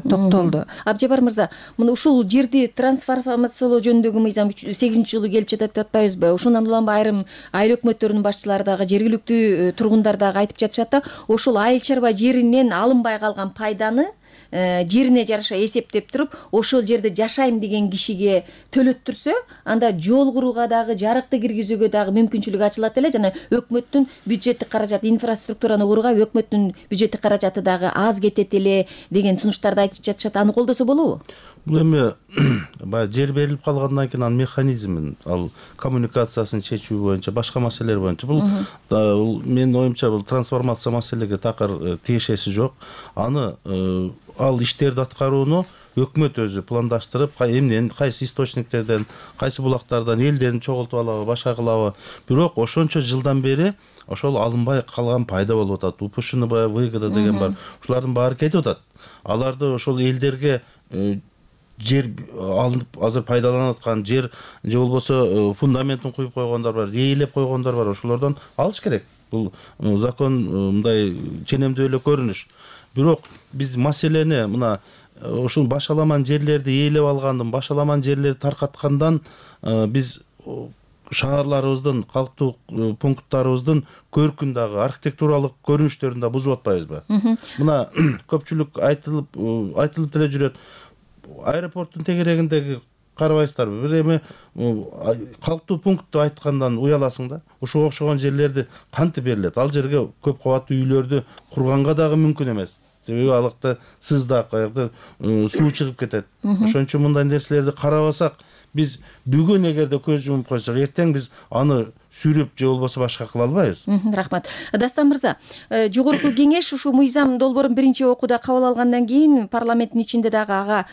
токтолду. Абжабар мырза, мына ушул ушул жерди трансформациялоо жөнүндөгү мыйзам сегизинчи жылы келип жатат деп атпайбызбы? Ушундан улам айрым айыл өкмөттөрүнүн башчылары дагы, жергиликтүү тургундар дагы айтып жатышат да, ошол айыл чарба жеринен алынбай калган пайданы жерине жараша эсептеп туруп, ошол жерде жашайм деген кишиге төлөттүрсө, анда жол курууга дагы, жарыкты киргизүүгө дагы мүмкүнчүлүк ачылат эле. Жана өкмөттүн бюджеттик каражаты, инфраструктураны курууга өкмөттүн бюджеттик каражаты дагы аз кетет эле деген сунуштарды айтып жатышат. Аны колдосо болобу? Бул эми баягы жер берилип калгандан кийин анын механизмин, ал коммуникациясын чечүү боюнча, башка маселелер боюнча бул менин оюмча бул трансформация маселеге такыр тиешеси жок. Аны ал иштерди аткарууну өкмөт өзү пландаштырып, эмнен, кайсы источниктерден, кайсы булактардан элдерин чогултуп алабы, башка кылабы. Бирок ошончо жылдан бери ошол алынбай калган пайда болуп атат. Упушунубай выгода деген бар. Ушулардын баары кетип атат. Аларды ошол элдерге жер алынып азыр пайдаланып аткан жер же болбосо фундаментин куюп койгондар бар, ээлеп койгондар бар. Ошолордон алыш керек. Бул закон мындай ченемдүү эле көрүнүш. Бирок биз маселени мына ушул башаламан жерлерди ээлеп алгандын, башаламан жерлерди таркаткандан биз шаарларыбыздын, калктуу пункттарыбыздын көркүн дагы, архитектуралык көрүнүштөрүн да бузуп атпайбызбы? Мына көпчүлүк айтылып айтылып деле жүрөт. Аэропорттун тегерегиндеги карабайсыздарбы? Бир эми калктуу пунктту айткандан уяласың да. Ушуга окшогон жерлерди кантип берилет? Ал жерге көп кабаттуу үйлөрдү курганга дагы мүмкүн эмес. Себеби алыкта сыздак, аякта суу чыгып кетет. Ошон үчүн мындай нерселерди карабасак, биз бүгүн эгерде көз жумуп койсок, эртең биз аны сүрүп же болбосо башка кыла албайбыз. Рахмат. Дастан мырза, жогорку кеңеш ушул мыйзам долбоорун биринчи окууда кабыл алгандан кийин парламенттин ичинде дагы ага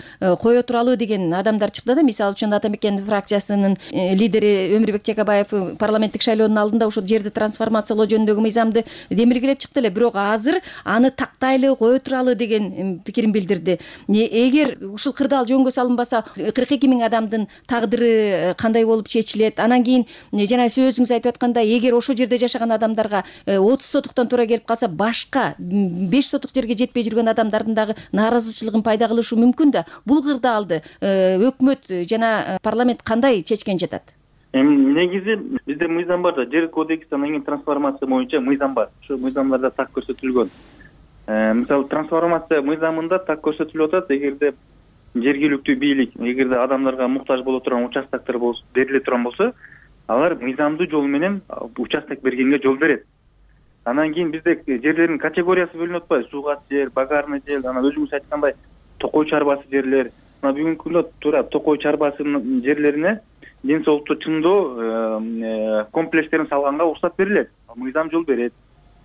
кое туралы деген адамдар чыкты да. Мисалы үчүн Ата Мекен фракциясынын лидери Өмүрбек Жакабаев парламенттик шайлоонун алдында ушул жерди трансформациялоо жөнүндөгү мыйзамды демилгелеп чыкты эле. Бирок азыр аны тактайлы, кое туралы деген пикирин билдирди. Эгер ушул кырдаал жөнгө салынбаса, кырк эки миң адамдын тагдыры кандай болуп чечилет? Анан кийин жана сөзүңүз айтып аткандай, эгер ошол жерде жашаган адамдарга отуз сотуктан туура келип калса, башка беш сотук жерге жетпей жүргөн адамдардын дагы нааразычылыгын пайда кылышы мүмкүн да. Бул кырдаалды өкмөт жана парламент кандай чечкен жатат? Эми негизи бизде мыйзам бар да, жер кодекси, анан кийин трансформация боюнча мыйзам бар. Ошол мыйзамдарда так көрсөтүлгөн. Мисалы трансформация мыйзамында так көрсөтүлүп атат, эгерде жергиликтүү бийлик, эгерде адамдарга муктаж боло турган участоктор бериле турган болсо, алар мыйзамдуу жол менен участок бергенге жол берет. Анан кийин бизде жерлердин категориясы бөлүнүп атпайбы? Суугат жер, багарный жер, анан өзүңүз айткандай токой чарбасы жерлер. Мына бүгүнкү күндө туура токой чарбасынын жерлерине ден соолукту чыңдоо комплекстерин салганга уруксат берилет. Мыйзам жол берет.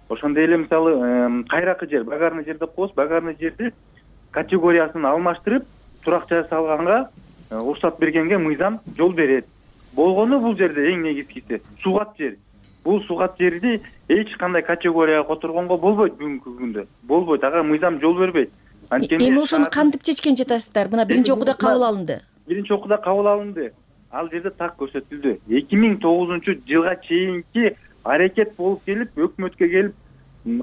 Ошондой эле мисалы кайракы жер, багарный жер деп коебуз. Багарный жерди категориясын алмаштырып, турак жай салганга уруксат бергенге мыйзам жол берет. Болгону бул жерде эң негизгиси суугат жер. Бул суугат жерди эч кандай категорияга которгонго болбойт бүгүнкү күндө. Болбойт, ага мыйзам жол бербейт. Эми ошону кантип чечкен жатасыздар? Мына биринчи окууда кабыл алынды. Биринчи окууда кабыл алынды. Ал жерде так көрсөтүлдү. эки миң тогузунчу жылга чейинки аракет болуп келип, өкмөткө келип,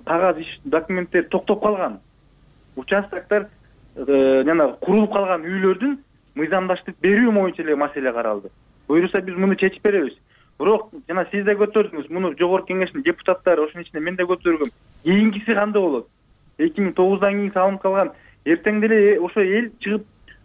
кагаз иш документтер токтоп калган. Участоктор жана курулуп калган үйлөрдүн мыйзамдаштырып берүү боюнча эле маселе каралды. Буюрса биз муну чечип беребиз. Бирок жана сиз да көтөрдүңүз, муну жогорку кеңештин депутаттары, ошонун ичинде мен да көтөргөм. Кийинкиси кандай болот? эки миң тогуздан кийин салынып калган, эртең деле ошо эл чыгып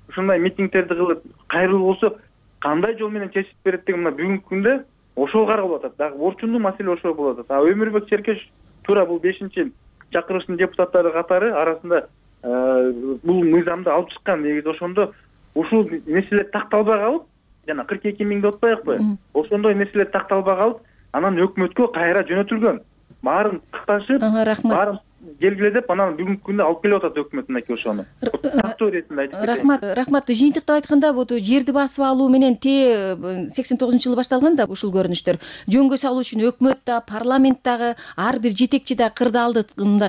ушундай митингдерди кылып, кайрылуу болсо, кандай жол менен чечип берет деген мына бүгүнкү күндө ошол каралып атат. Дагы орчундуу маселе ошол болуп атат. А Өмүрбек Черкеш туура бул бешинчи чакырыштын депутаттары катары арасында бул мыйзамды алып чыккан. Негизи ошондо ушул нерселер такталбай калып, жана кырк эки миң деп атпайбы? Ошондой нерселер такталбай калып, анан өкмөткө кайра жөнөтүлгөн. Баарын кыкташып, баарын келгиле деп, анан бүгүнкү күндө алып келип атат өкмөт мынакей ошону. Тактоо иретинде айтып кетейин. Рахмат, рахмат. Жыйынтыктап айтканда, бул жерди басып алуу менен те сексен тогузунчу жылы башталган да ушул көрүнүштөр. Жөнгө салуу үчүн өкмөт да, парламент дагы, ар бир жетекчи да кырдаалды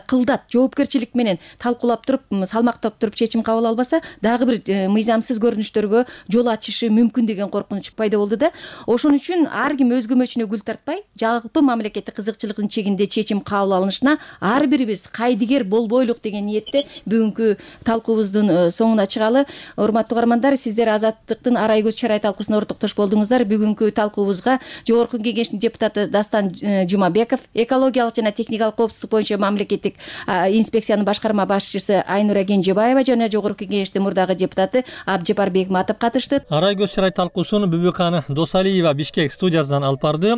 кылдат, жоопкерчилик менен талкуулап туруп, салмактап туруп чечим кабыл албаса, дагы бир мыйзамсыз көрүнүштөргө жол ачышы мүмкүн деген коркунуч пайда болду да. Ошон үчүн ар ким өз көмөчүнө гүл тартпай, жалпы мамлекеттик кызыкчылыктын чегинде чечим кабыл алынышына ар бирибиз биз кайдыгер болбойлук деген ниетте бүгүнкү талкуубуздун соңуна чыгалы. Урматтуу угармандар, сиздер Азаттыктын Арай көз чарай талкуусуна ортоктош болдуңуздар. Бүгүнкү талкуубузга Жогорку Кеңештин депутаты Дастан Жумабеков, экологиялык жана техникалык коопсуздук боюнча мамлекеттик инспекциянын башкарма башчысы Айнура Кенжебаева жана Жогорку Кеңештин мурдагы депутаты Абдыжапар Бекматов катышты. Арай көз чарай талкуусун Бүбүкан Досалиева Бишкек студиясынан алып барды.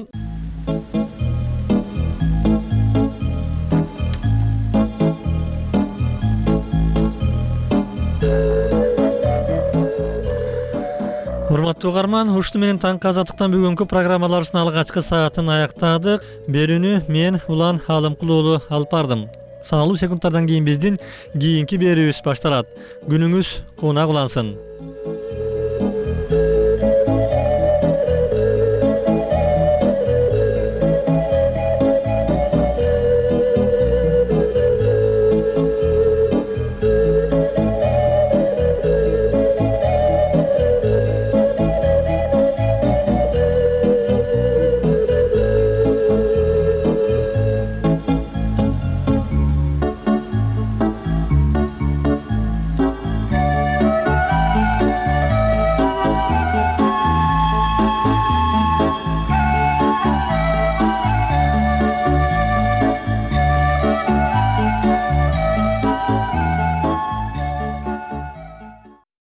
Урматтуу угарман, ушуну менен таңкы Азаттыктан бүгүнкү программаларыбыздын алгачкы саатын аяктадык. Берүүнү мен Улан Алымкул уулу алып бардым. Саналуу секундтардан кийин биздин кийинки берүүбүз башталат. Күнүңүз куунак улансын.